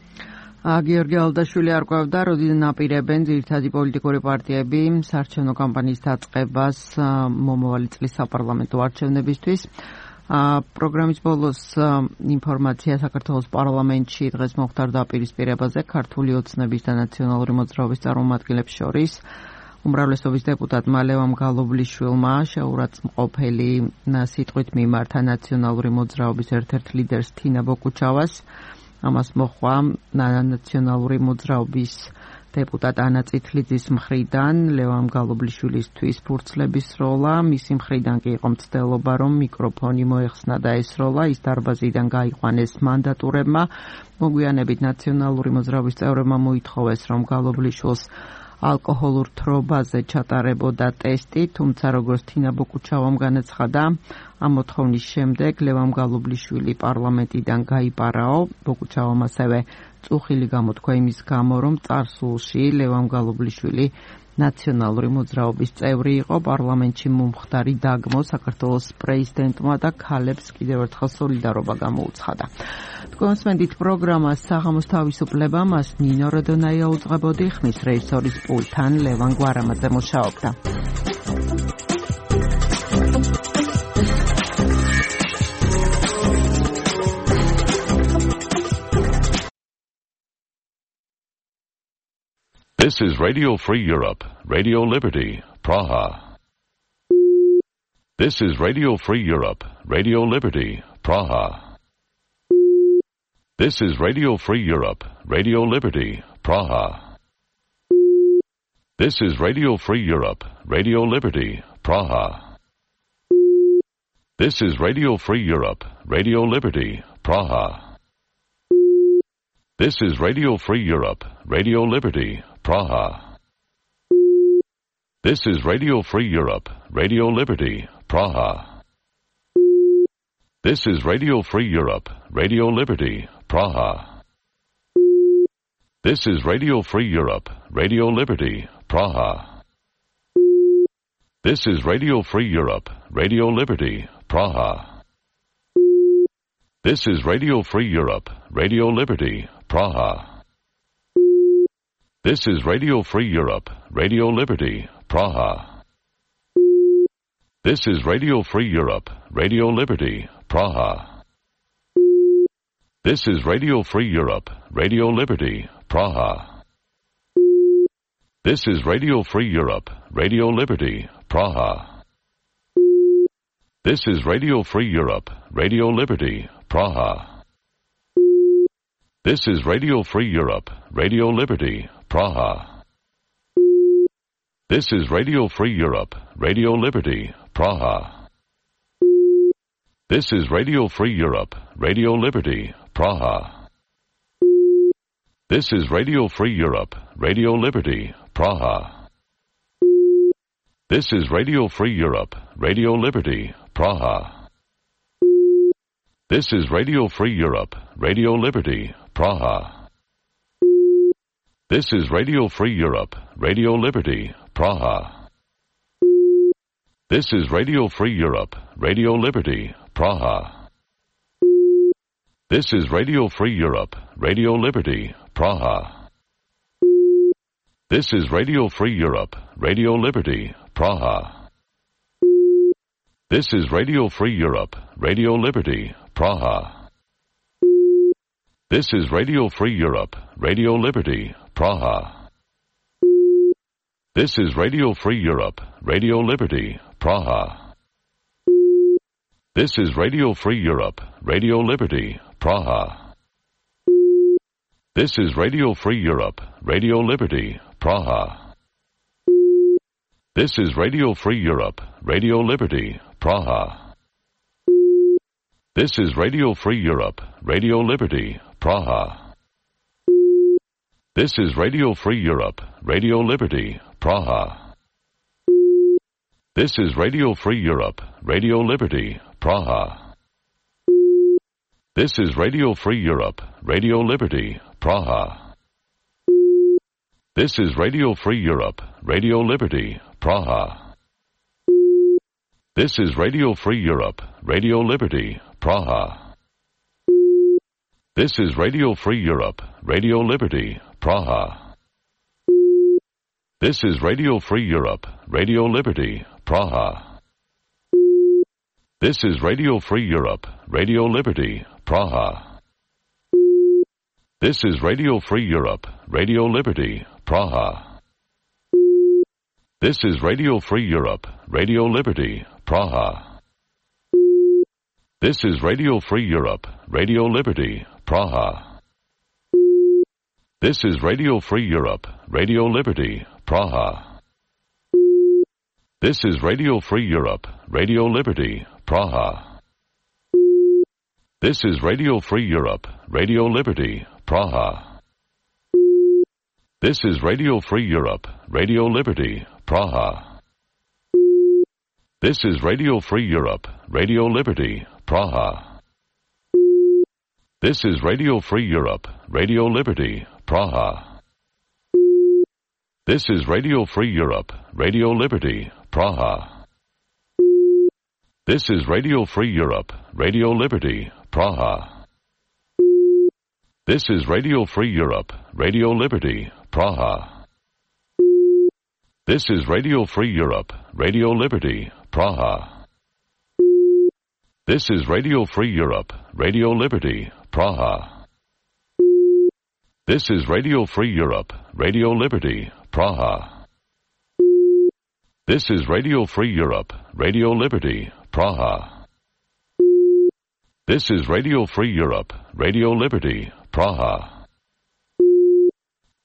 გიორგი ალდაშვილი არკვევდა, როდიდან აპირებენ ძირითადი პოლიტიკური პარტიები საარჩევნო კამპანიის დაწყებას მომავალი წლის საპარლამენტო არჩევნებისთვის. პროგრამის ბოლოს ინფორმაცია საქართველოს პარლამენტში დღეს მოხდა დაპირისპირებაზე ქართული ოცნების და ნაციონალური მოძრაობის წარმომადგენლებს შორის. უმრავლესობის დეპუტატმა ლევან გალობლიშვილმა შეურაცხმყოფელი სიტყვით მიმართა ნაციონალური მოძრაობის ერთ-ერთ ლიდერს თინა ბოკუჩავას. ამას მოჰყვა ნაციონალური მოძრაობის დეპუტატ ანა წითლიძის მხრიდან ლევან გალობლიშვილისთვის ფურცლების სროლა, მისი მხრიდან კი იყო მცდელობა, რომ მიკროფონი მოეხსნა და ესროლა, ის დარბაზიდან გაიყვანეს მანდატურებმა. მოგვიანებით ნაციონალური მოძრაობის წევრებმა მოითხოვეს, რომ გალობლიშვილს ალკოჰოლურ თრობაზე ჩატარებოდა ტესტი, თუმცა როგორც თინა ბოკუჩავამ განაცხადა, ამ მოთხოვნის შემდეგ ლევან გალობლიშვილი პარლამენტიდან გაიპარაო. ბოკუჩავამ ასევე წუხილი გამოთქვა იმის გამო, რომ წარსულში ლევან გალობლიშვილი ნაციონალური მოძრაობის წევრი იყო. პარლამენტში მომხდარი დაგმო საქართველოს პრეზიდენტმა და ქალებს კიდევ ერთხელ სოლიდარობა გამოუცხადა. თქვენსმენდით პროგრამას საღამოს თავისუფლება, მას ნინო როდონაია უძღვებოდი, ხმის რეჟისორის პულტთან ლევან გვარამაძე მუშაობდა. This is Radio Free Europe, Radio Liberty, Praha. This is Radio Free Europe, Radio Liberty, Praha. This is Radio Free Europe, Radio Liberty, Praha. This is Radio Free Europe, Radio Liberty, Praha. This is Radio Free Europe, Radio Liberty, Praha. This is Radio Free Europe, Radio Liberty, Praha. This is Radio Free Europe, Radio Liberty, Praha. This is Radio Free Europe, Radio Liberty, Praha. This is Radio Free Europe, Radio Liberty, Praha. This is Radio Free Europe, Radio Liberty, Praha. This is Radio Free Europe, Radio Liberty, Praha. This is Radio Free Europe, Radio Liberty, Praha. This is Radio Free Europe, Radio Liberty, Praha. This is Radio Free Europe, Radio Liberty, Praha. This is Radio Free Europe, Radio Liberty, Praha. This is Radio Free Europe, Radio Liberty, Praha. This is Radio Free Europe, Radio Liberty, Praha. This is Radio Free Europe, Radio Liberty, Praha. This is Radio Free Europe, Radio Liberty, Praha. This is Radio Free Europe, Radio Liberty, Praha. This is Radio Free Europe, Radio Liberty, Praha. This is Radio Free Europe, Radio Liberty, Praha. This is Radio Free Europe, Radio Liberty, Praha. This is Radio Free Europe, Radio Liberty, Praha. This is Radio Free Europe, Radio Liberty, Praha. This is Radio Free Europe, Radio Liberty, Praha. This is Radio Free Europe, Radio Liberty, Praha. This is Radio Free Europe, Radio Liberty, Praha. This is Radio Free Europe, Radio Liberty, Praha. This is Radio Free Europe, Radio Liberty, Praha. This is Radio Free Europe, Radio Liberty, Praha. This is Radio Free Europe, Radio Liberty, Praha. This is Radio Free Europe, Radio Liberty, Praha. This is Radio Free Europe, Radio Liberty, Praha. This is Radio Free Europe, Radio Liberty, Praha. This is Radio Free Europe, Radio Liberty, Praha. This is Radio Free Europe, Radio Liberty, Praha. This is Radio Free Europe, Radio Liberty, Praha. This is Radio Free Europe, Radio Liberty, Praha. This is Radio Free Europe, Radio Liberty, Praha. This is Radio Free Europe, Radio Liberty, Praha. This is Radio Free Europe, Radio Liberty, Praha. This is Radio Free Europe, Radio Liberty, Praha. This is Radio Free Europe, Radio Liberty, Praha. This is Radio Free Europe, Radio Liberty, Praha. This is Radio Free Europe, Radio Liberty, Praha. This is Radio Free Europe, Radio Liberty, Praha. This is Radio Free Europe, Radio Liberty, Praha. This is Radio Free Europe, Radio Liberty, Praha. This is Radio Free Europe, Radio Liberty, Praha. This is Radio Free Europe, Radio Liberty, Praha. This is Radio Free Europe, Radio Liberty, Praha. This is Radio Free Europe, Radio Liberty, Praha. This is Radio Free Europe, Radio Liberty, Praha. This is Radio Free Europe, Radio Liberty, Praha. This is Radio Free Europe, Radio Liberty, Praha. This is Radio Free Europe, Radio Liberty, Praha. This is Radio Free Europe, Radio Liberty, Praha.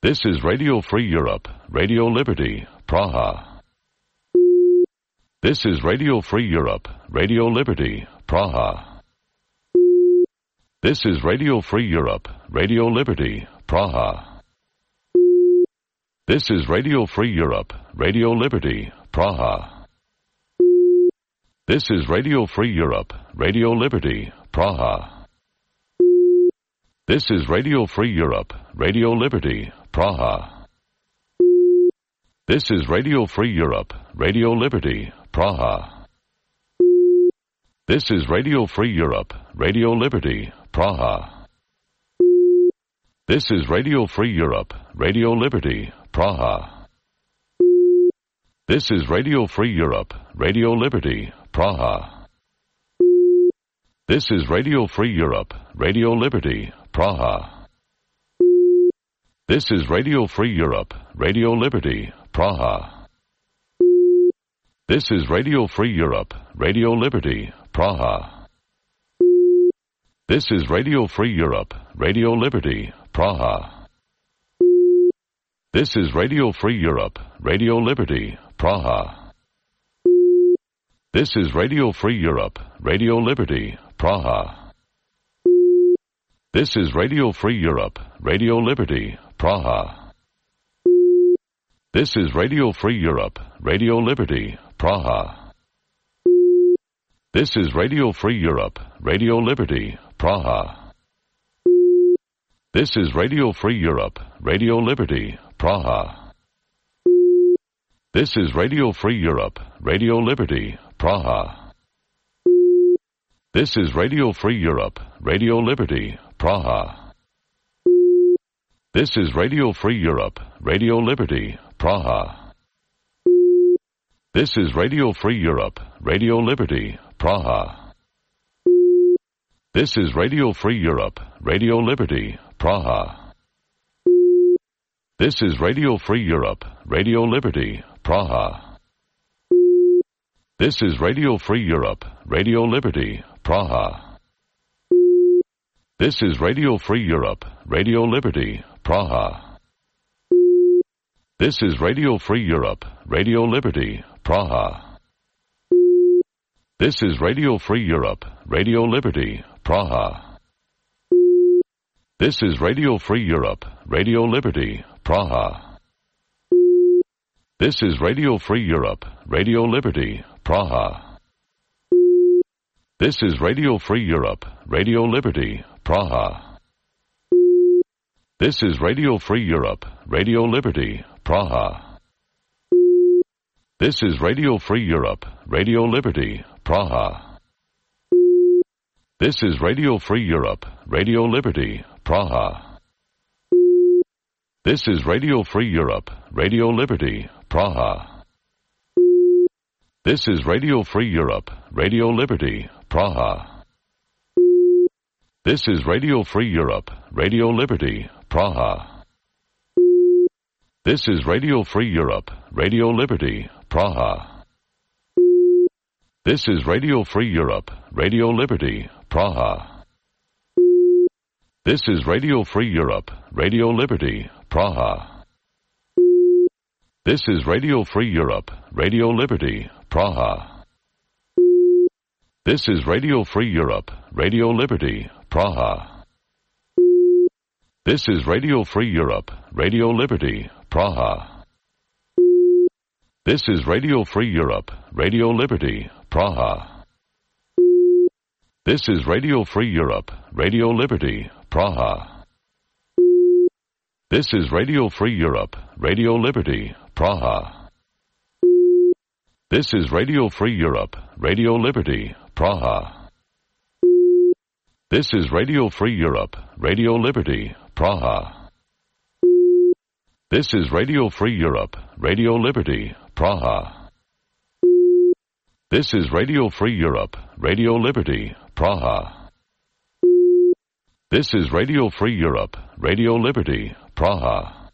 This is Radio Free Europe, Radio Liberty, Praha. This is Radio Free Europe, Radio Liberty, Praha. This is Radio Free Europe, Radio Liberty, Praha. This is Radio Free Europe, Radio Liberty, Praha. This is Radio Free Europe, Radio Liberty, Praha. This is Radio Free Europe, Radio Liberty, Praha. This is Radio Free Europe, Radio Liberty, Praha. This is Radio Free Europe, Radio Liberty, Praha. This is Radio Free Europe, Radio Liberty, Praha. This is Radio Free Europe, Radio Liberty, Praha. This is Radio Free Europe, Radio Liberty, Praha. This is Radio Free Europe, Radio Liberty, Praha. This is Radio Free Europe, Radio Liberty, Praha. This is Radio Free Europe, Radio Liberty, Praha. This is Radio Free Europe, Radio Liberty, Praha. This is Radio Free Europe, Radio Liberty, Praha. This is Radio Free Europe, Radio Liberty, Praha. This is Radio Free Europe, Radio Liberty, Praha. This is Radio Free Europe, Radio Liberty, Praha. This is Radio Free Europe, Radio Liberty, Praha. This is Radio Free Europe, Radio Liberty, Praha. This is Radio Free Europe, Radio Liberty, Praha. This is Radio Free Europe, Radio Liberty, Praha. This is Radio Free Europe, Radio Liberty, Praha. This is Radio Free Europe, Radio Liberty, Praha. This is Radio Free Europe, Radio Liberty, Praha. This is Radio Free Europe, Radio Liberty, Praha. This is Radio Free Europe, Radio Liberty, Praha. This is Radio Free Europe, Radio Liberty, Praha. This is Radio Free Europe, Radio Liberty, Praha. This is Radio Free Europe, Radio Liberty, Praha. This is Radio Free Europe, Radio Liberty, Praha. This is Radio Free Europe, Radio Liberty, Praha. This is Radio Free Europe, Radio Liberty, Praha. This is Radio Free Europe, Radio Liberty, Praha. This is Radio Free Europe, Radio Liberty, Praha. This is Radio Free Europe, Radio Liberty, Praha. This is Radio Free Europe, Radio Liberty, Praha. This is Radio Free Europe, Radio Liberty, Praha. This is Radio Free Europe, Radio Liberty, Praha. This is Radio Free Europe, Radio Liberty, Praha. This is Radio Free Europe, Radio Liberty, Praha. This is Radio Free Europe, Radio Liberty, Praha. This is Radio Free Europe, Radio Liberty, Praha. This is Radio Free Europe, Radio Liberty, Praha. This is Radio Free Europe, Radio Liberty, Praha. This is Radio Free Europe, Radio Liberty, Praha. This is Radio Free Europe, Radio Liberty, Praha. This is Radio Free Europe, Radio Liberty, Praha. This is Radio Free Europe, Radio Liberty, Praha. This is Radio Free Europe, Radio Liberty, Praha. This is Radio Free Europe, Radio Liberty, Praha. This is Radio Free Europe, Radio Liberty, Praha.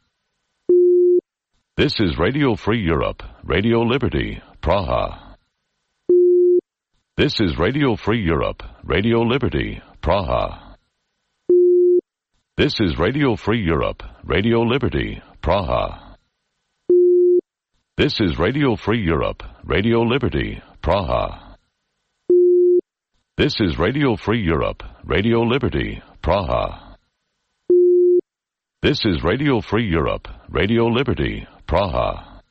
This is Radio Free Europe, Radio Liberty, Praha. This is Radio Free Europe, Radio Liberty, Praha. This is Radio Free Europe, Radio Liberty, Praha. This is Radio Free Europe, Radio Liberty, Praha. This is Radio Free Europe, Radio Liberty, Praha. This is Radio Free Europe, Radio Liberty, Praha.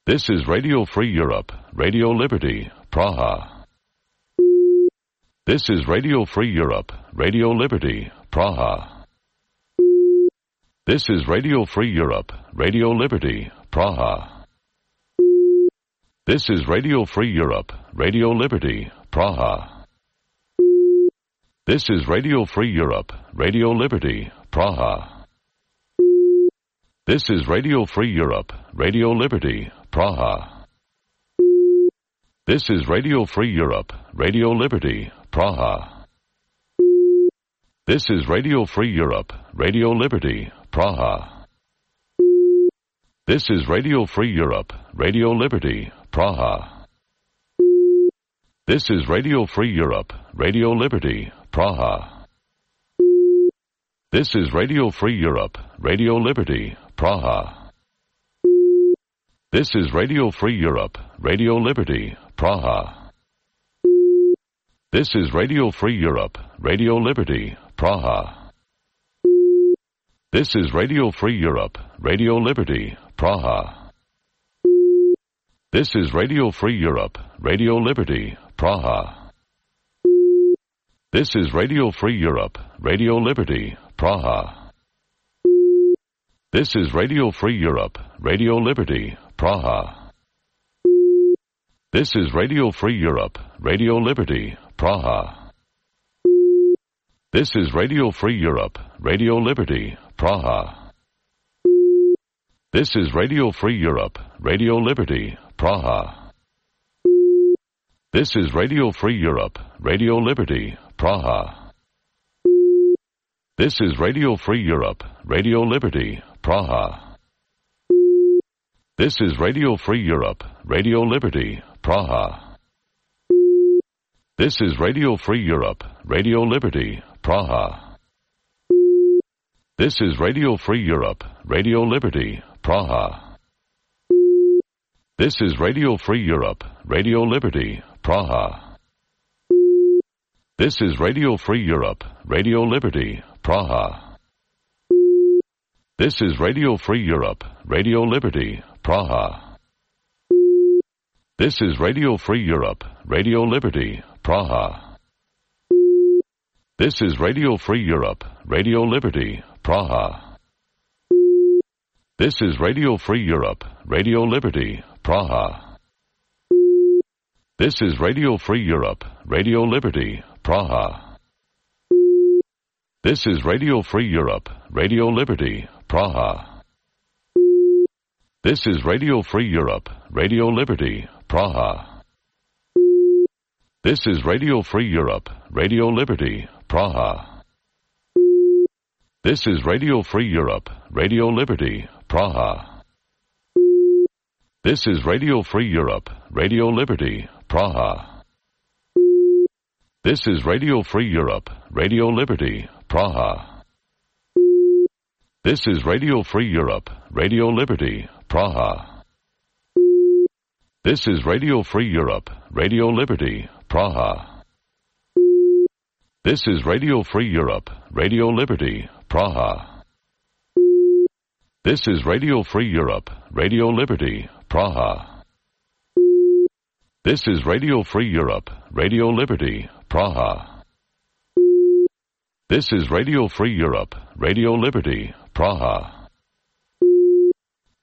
This is Radio Free Europe, Radio Liberty, Praha. This is Radio Free Europe, Radio Liberty, Praha. This is Radio Free Europe, Radio Liberty, Praha. This is Radio Free Europe, Radio Liberty, Praha. This is Radio Free Europe, Radio Liberty, Praha. This is Radio Free Europe, Radio Liberty, Praha. This is Radio Free Europe, Radio Liberty, Praha. This is Radio Free Europe, Radio Liberty, Praha. This is Radio Free Europe, Radio Liberty, Praha. This is Radio Free Europe, Radio Liberty, Praha. This is Radio Free Europe, Radio Liberty, Praha. This is Radio Free Europe, Radio Liberty, Praha. This is Radio Free Europe, Radio Liberty, Praha. This is Radio Free Europe, Radio Liberty, Praha. This is Radio Free Europe, Radio Liberty, Praha. This is Radio Free Europe, Radio Liberty, Praha. This is Radio Free Europe, Radio Liberty, Praha. This is Radio Free Europe, Radio Liberty, Praha. This is Radio Free Europe, Radio Liberty, Praha. This is Radio Free Europe, Radio Liberty, Praha. This is Radio Free Europe, Radio Liberty, Praha. This is Radio Free Europe, Radio Liberty, Praha. This is Radio Free Europe, Radio Liberty, Praha. This is Radio Free Europe, Radio Liberty, Praha. This is Radio Free Europe, Radio Liberty, Praha. This is Radio Free Europe, Radio Liberty, Praha. This is Radio Free Europe, Radio Liberty, Praha. This is Radio Free Europe, Radio Liberty, Praha. This is Radio Free Europe, Radio Liberty, Praha. This is Radio Free Europe, Radio Liberty, Praha. This is Radio Free Europe, Radio Liberty, Praha. This is Radio Free Europe, Radio Liberty, Praha. This is Radio Free Europe, Radio Liberty, Praha. This is Radio Free Europe, Radio Liberty, Praha. This is Radio Free Europe, Radio Liberty, Praha. This is Radio Free Europe, Radio Liberty, Praha. This is Radio Free Europe, Radio Liberty, Praha. This is Radio Free Europe, Radio Liberty, Praha. This is Radio Free Europe, Radio Liberty, Praha. This is Radio Free Europe, Radio Liberty, Praha. This is Radio Free Europe, Radio Liberty, Praha. This is Radio Free Europe, Radio Liberty, Praha. This is Radio Free Europe, Radio Liberty, Praha. This is Radio Free Europe, Radio Liberty, Praha.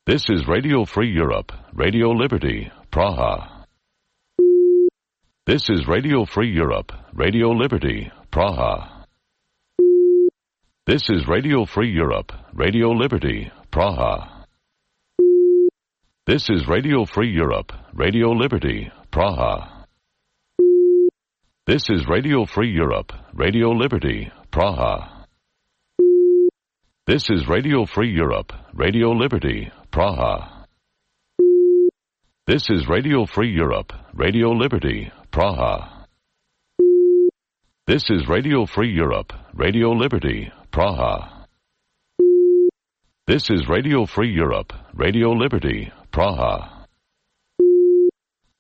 This is Radio Free Europe, Radio Liberty, Praha. This is Radio Free Europe, Radio Liberty, Praha. This is Radio Free Europe, Radio Liberty, Praha. This is Radio Free Europe, Radio Liberty, Praha. This is Radio Free Europe, Radio Liberty, Praha. This is Radio Free Europe, Radio Liberty, Praha. This is Radio Free Europe, Radio Liberty, Praha. This is Radio Free Europe, Radio Liberty, Praha. This is Radio Free Europe, Radio Liberty, Praha.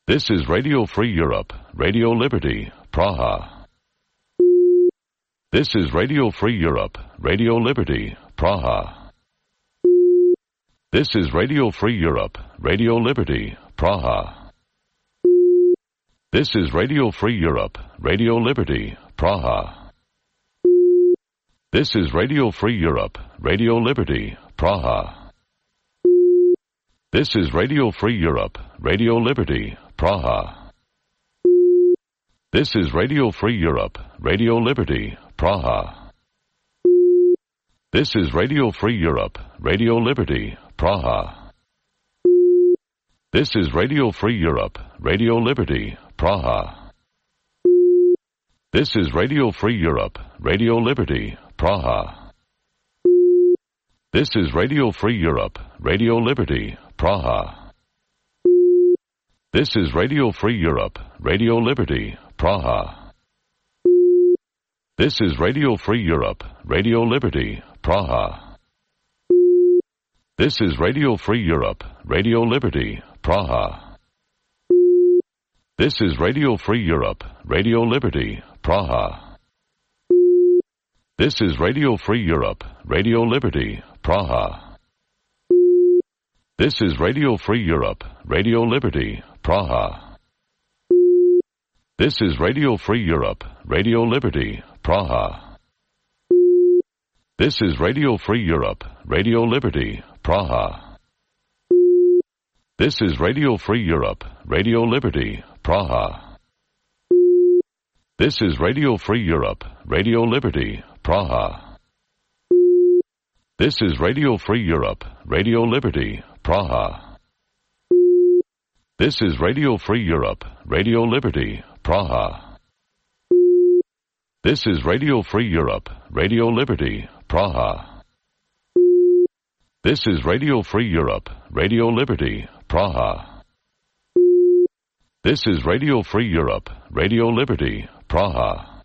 This is Radio Free Europe, Radio Liberty, Praha. This is Radio Free Europe, Radio Liberty, Praha. This is Radio Free Europe, Radio Liberty, Praha. This is Radio Free Europe, Radio Liberty, Praha. This is Radio Free Europe, Radio Liberty, Praha. This is Radio Free Europe, Radio Liberty, Praha. This is Radio Free Europe, Radio Liberty, Praha. This is Radio Free Europe, Radio Liberty, Praha. This is Radio Free Europe, Radio Liberty, Praha. This is Radio Free Europe, Radio Liberty, Praha. This is Radio Free Europe, Radio Liberty, Praha. This is Radio Free Europe, Radio Liberty, Praha. This is Radio Free Europe, Radio Liberty, Praha. This is Radio Free Europe, Radio Liberty, Praha. This is Radio Free Europe, Radio Liberty, Praha. This is Radio Free Europe, Radio Liberty, Praha. This is Radio Free Europe, Radio Liberty, Praha. This is Radio Free Europe, Radio Liberty, Praha. This is Radio Free Europe, Radio Liberty, Praha. This is Radio Free Europe, Radio Liberty, Praha. This is Radio Free Europe, Radio Liberty, Praha. This is Radio Free Europe, Radio Liberty, Praha. This is Radio Free Europe, Radio Liberty, Praha. This is Radio Free Europe, Radio Liberty, Praha. This is Radio Free Europe, Radio Liberty, Praha. This is Radio Free Europe, Radio Liberty, Praha.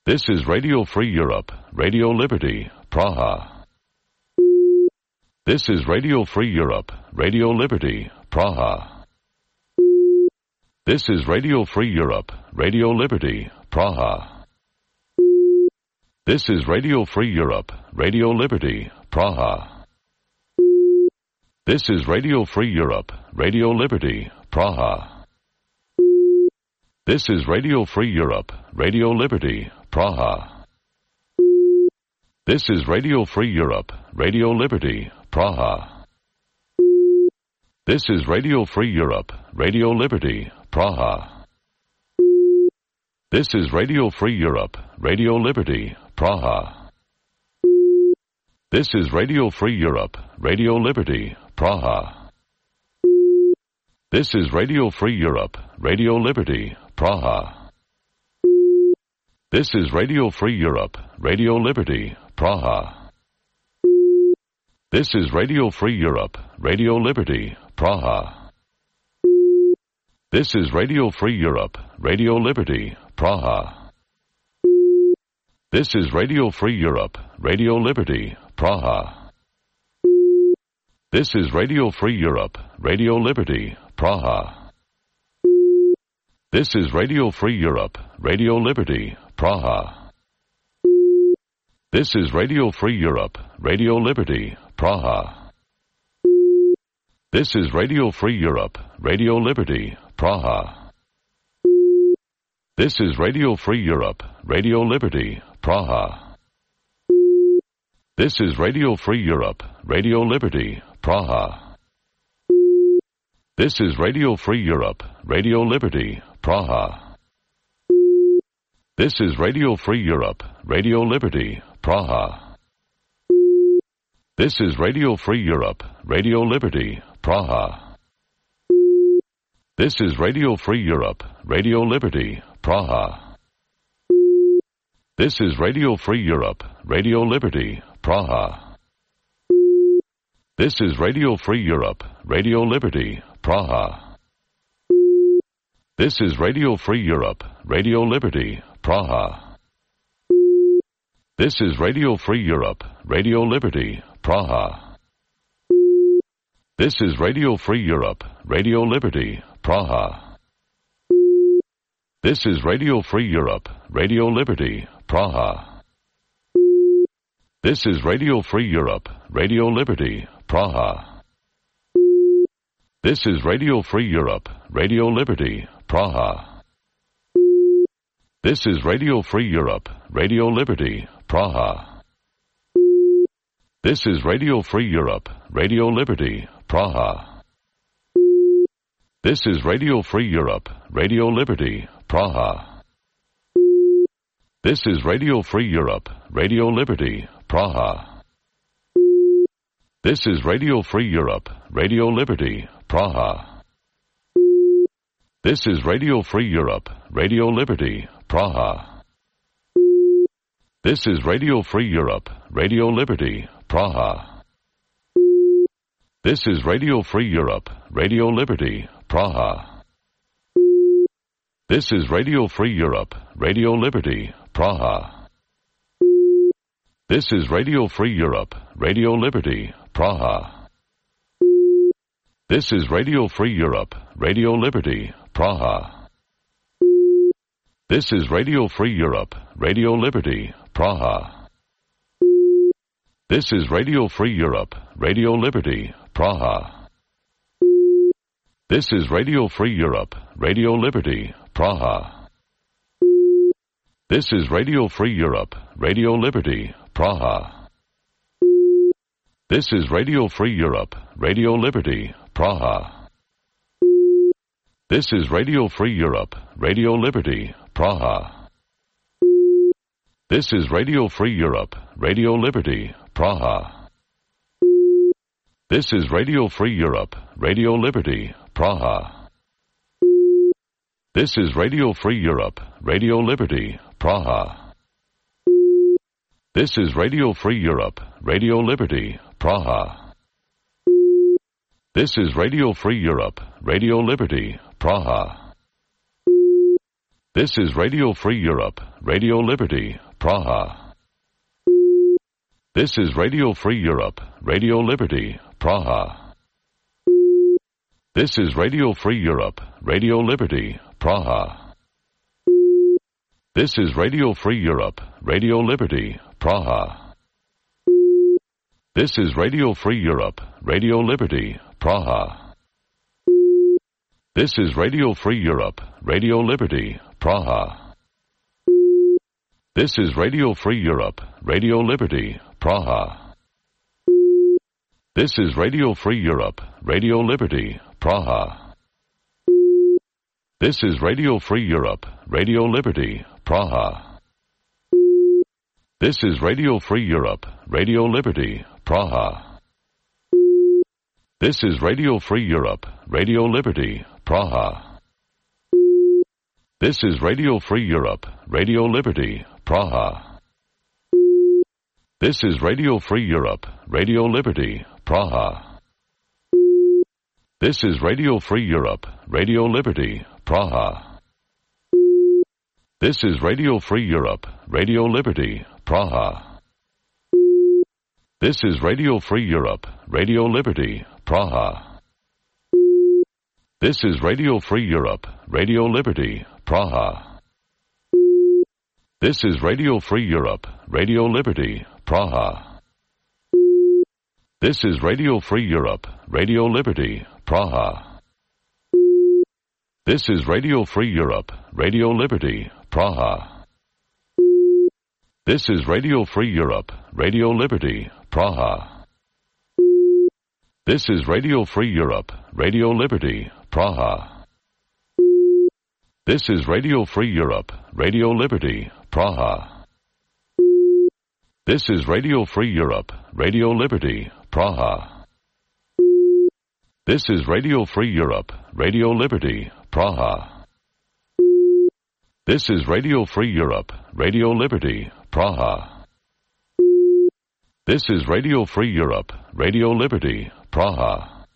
This is Radio Free Europe, Radio Liberty, Praha. This is Radio Free Europe, Radio Liberty, Praha. This is Radio Free Europe, Radio Liberty, Praha. This is Radio Free Europe, Radio Liberty, Praha. This is Radio Free Europe, Radio Liberty, Praha. This is Radio Free Europe, Radio Liberty, Praha. This is Radio Free Europe, Radio Liberty, Praha. This is Radio Free Europe, Radio Liberty, Praha. This is Radio Free Europe, Radio Liberty, Praha. This is Radio Free Europe, Radio Liberty, Praha. This is Radio Free Europe, Radio Liberty, Praha. This is Radio Free Europe, Radio Liberty, Praha. This is Radio Free Europe, Radio Liberty, Praha. This is Radio Free Europe, Radio Liberty, Praha. This is Radio Free Europe, Radio Liberty, Praha. This is Radio Free Europe, Radio Liberty, Praha. This is Radio Free Europe, Radio Liberty, Praha. This is Radio Free Europe, Radio Liberty, Praha. This is Radio Free Europe, Radio Liberty, Praha. This is Radio Free Europe, Radio Liberty, Praha. This is Radio Free Europe, Radio Liberty, Praha. This is Radio Free Europe, Radio Liberty, Praha. This is Radio Free Europe, Radio Liberty, Praha. This is Radio Free Europe, Radio Liberty, Praha. This is Radio Free Europe, Radio Liberty, Praha. This is Radio Free Europe, Radio Liberty, Praha. This is Radio Free Europe, Radio Liberty, Praha. This is Radio Free Europe, Radio Liberty, Praha. This is Radio Free Europe, Radio Liberty, Praha. This is Radio Free Europe, Radio Liberty, Praha. This is Radio Free Europe, Radio Liberty, Praha. This is Radio Free Europe, Radio Liberty, Praha. This is Radio Free Europe, Radio Liberty, Praha. This is Radio Free Europe, Radio Liberty, Praha. This is Radio Free Europe, Radio Liberty, Praha. This is Radio Free Europe, Radio Liberty, Praha. This is Radio Free Europe, Radio Liberty, Praha. This is Radio Free Europe, Radio Liberty, Praha. This is Radio Free Europe, Radio Liberty, Praha. This is Radio Free Europe, Radio Liberty, Praha. This is Radio Free Europe, Radio Liberty, Praha. This is Radio Free Europe, Radio Liberty, Praha. This is Radio Free Europe, Radio Liberty, Praha. This is Radio Free Europe, Radio Liberty, Praha. This is Radio Free Europe, Radio Liberty, Praha. This is Radio Free Europe, Radio Liberty, Praha. This is Radio Free Europe, Radio Liberty, Praha. This is Radio Free Europe, Radio Liberty, Praha. This is Radio Free Europe, Radio Liberty, Praha. This is Radio Free Europe, Radio Liberty, Praha. This is Radio Free Europe, Radio Liberty, Praha. This is Radio Free Europe, Radio Liberty, Praha. This is Radio Free Europe, Radio Liberty, Praha. This is Radio Free Europe, Radio Liberty, Praha. This is Radio Free Europe, Radio Liberty, Praha. This is Radio Free Europe, Radio Liberty, Praha. This is Radio Free Europe, Radio Liberty, Praha. This is Radio Free Europe, Radio Liberty, Praha. This is Radio Free Europe, Radio Liberty, Praha. This is Radio Free Europe, Radio Liberty, Praha. This is Radio Free Europe, Radio Liberty, Praha. This is Radio Free Europe, Radio Liberty, Praha. This is Radio Free Europe, Radio Liberty, Praha. This is Radio Free Europe, Radio Liberty, Praha. This is Radio Free Europe, Radio Liberty, Praha. This is Radio Free Europe, Radio Liberty, Praha. This is Radio Free Europe, Radio Liberty, Praha. This is Radio Free Europe, Radio Liberty, Praha. This is Radio Free Europe, Radio Liberty, Praha. This is Radio Free Europe, Radio Liberty, Praha. This is Radio Free Europe, Radio Liberty, Praha. This is Radio Free Europe, Radio Liberty, Praha. This is Radio Free Europe, Radio Liberty, Praha. This is Radio Free Europe, Radio Liberty, Praha. This is Radio Free Europe, Radio Liberty, Praha. This is Radio Free Europe, Radio Liberty, Praha. This is Radio Free Europe, Radio Liberty, Praha. This is Radio Free Europe, Radio Liberty, Praha. This is Radio Free Europe, Radio Liberty, Praha. This is Radio Free Europe, Radio Liberty, Praha. This is Radio Free Europe, Radio Liberty, Praha. This is Radio Free Europe, Radio Liberty, Praha.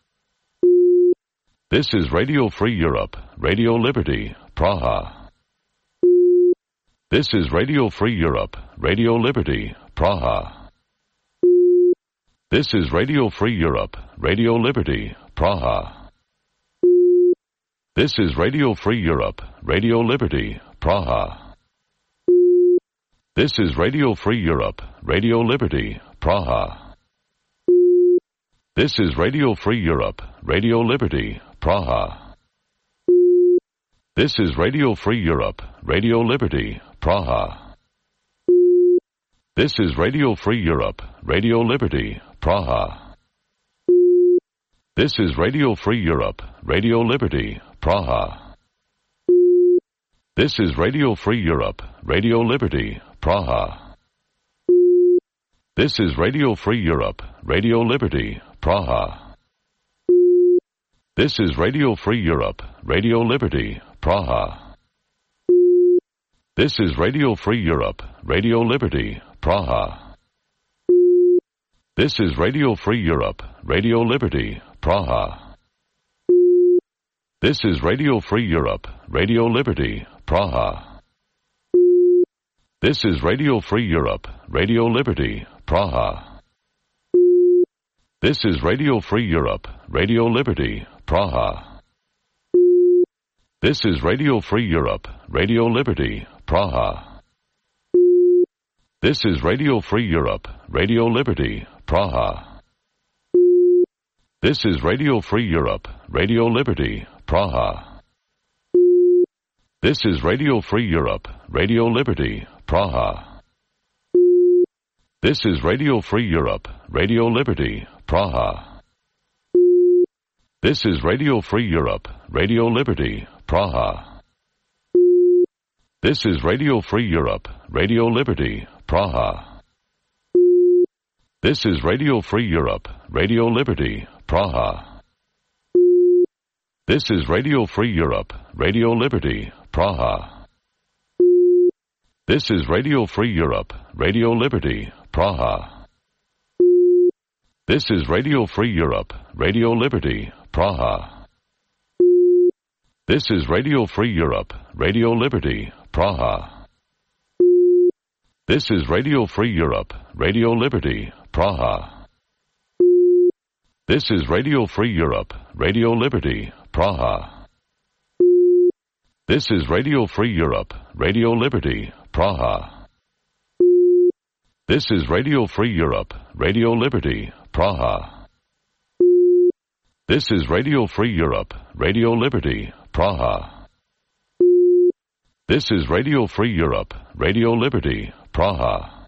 This is Radio Free Europe, Radio Liberty, Praha. This is Radio Free Europe, Radio Liberty, Praha. This is Radio Free Europe, Radio Liberty, Praha. This is Radio Free Europe, Radio Liberty, Praha. This is Radio Free Europe, Radio Liberty, Praha. This is Radio Free Europe, Radio Liberty, Praha. This is Radio Free Europe, Radio Liberty, Praha. This is Radio Free Europe, Radio Liberty, Praha. This is Radio Free Europe, Radio Liberty, Praha. This is Radio Free Europe, Radio Liberty, Praha. This is Radio Free Europe, Radio Liberty, Praha. This is Radio Free Europe, Radio Liberty, Praha. This is Radio Free Europe, Radio Liberty, Praha. This is Radio Free Europe, Radio Liberty, Praha. This is Radio Free Europe, Radio Liberty, Praha. This is Radio Free Europe, Radio Liberty, Praha. This is Radio Free Europe, Radio Liberty, Praha. This is Radio Free Europe, Radio Liberty, Praha. This is Radio Free Europe, Radio Liberty, Praha. This is Radio Free Europe, Radio Liberty, Praha. This is Radio Free Europe, Radio Liberty, Praha. This is Radio Free Europe, Radio Liberty, Praha. This is Radio Free Europe, Radio Liberty, Praha. This is Radio Free Europe, Radio Liberty, Praha. This is Radio Free Europe, Radio Liberty, Praha. This is Radio Free Europe, Radio Liberty, Praha. This is Radio Free Europe, Radio Liberty, Praha. This is Radio Free Europe, Radio Liberty, Praha. This is Radio Free Europe, Radio Liberty, Praha. This is Radio Free Europe, Radio Liberty, Praha. This is Radio Free Europe, Radio Liberty, Praha. This is Radio Free Europe, Radio Liberty, Praha. This is Radio Free Europe, Radio Liberty, Praha. This is Radio Free Europe, Radio Liberty, Praha. This is Radio Free Europe, Radio Liberty, Praha.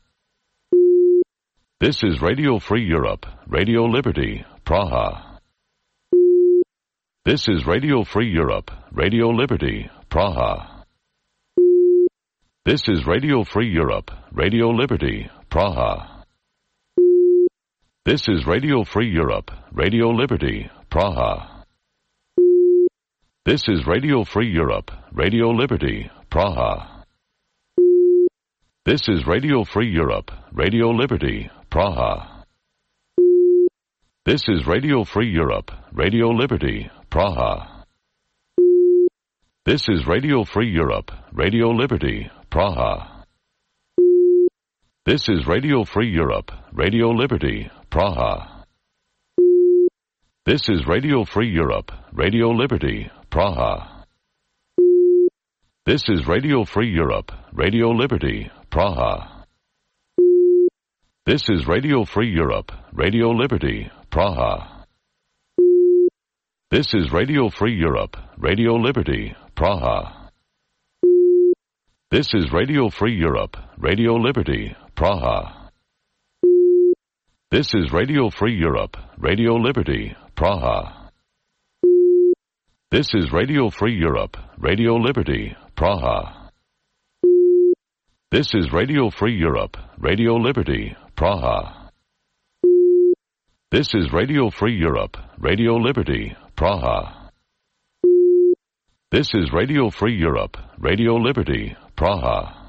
This is Radio Free Europe, Radio Liberty, Praha. This is Radio Free Europe, Radio Liberty, Praha. This is Radio Free Europe, Radio Liberty, Praha. This is Radio Free Europe, Radio Liberty, Praha. This is Radio Free Europe, Radio Liberty, Praha. This is Radio Free Europe, Radio Liberty, Praha. This is Radio Free Europe, Radio Liberty, Praha. This is Radio Free Europe, Radio Liberty, Praha. This is Radio Free Europe, Radio Liberty, Praha. This is Radio Free Europe, Radio Liberty, Praha. This is Radio Free Europe, Radio Liberty, Praha. This is Radio Free Europe, Radio Liberty, Praha. This is Radio Free Europe, Radio Liberty, Praha. This is Radio Free Europe, Radio Liberty, Praha. This is Radio Free Europe, Radio Liberty, Praha. This is Radio Free Europe, Radio Liberty, Praha. This is Radio Free Europe, Radio Liberty, Praha. This is Radio Free Europe, Radio Liberty, Praha. This is Radio Free Europe, Radio Liberty, Praha.